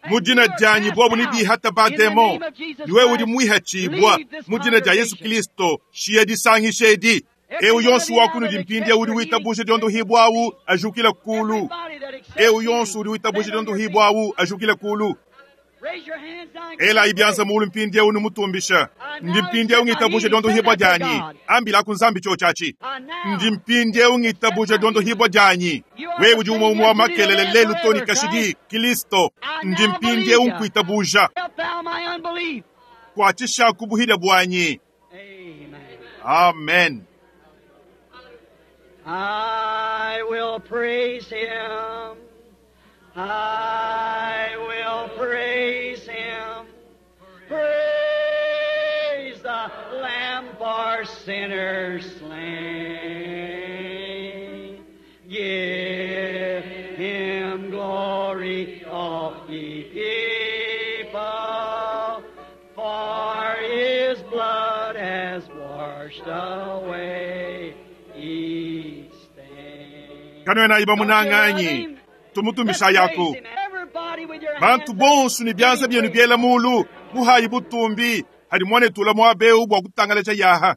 And mu jina you are lyanyi cast bwobu ni out bihata in the bademo name of Jesus niwe uli Christ. mwihachibwa Leave this mu jina lya Yesu congregation. Kristo shiye disangisha edi Eu yonso wa kunudi mpindieu udi witabuja diondohibua awu ajukile kulu. Everybody that accepts Eu yonso healing, udi witabuja stand on your feet. diondohibua awu ajukile kulu. Raise your hands now and Elayi give byanza praise. mulu mpindieu numutumbisha. Ndi mpindieu ngitabuja diondohibua dyanyi. Ambilaku Nzambi chochachi. Ndi mpindieu ngitabuja diondohibua dyanyi. Wewe udi umwe umwe wa makelele lelu toni kashidi Kristo. Ndi mpindieu nkuitabuja. Help thou my unbelief. Kuatisha kubuhida bwanyi. Amen. Amen. I will praise him. I will praise him. Praise the Lamb for sinners slain. Give him glory, all ye people, for his blood has washed away each stain. Kanwena iba munanganyi. Tumutumbisha yako. Bantu bonso ni byanza byenu byela mulu. Muhayi butumbi. Hadi mwane tula mwabeu bwa kutangalecha yaha.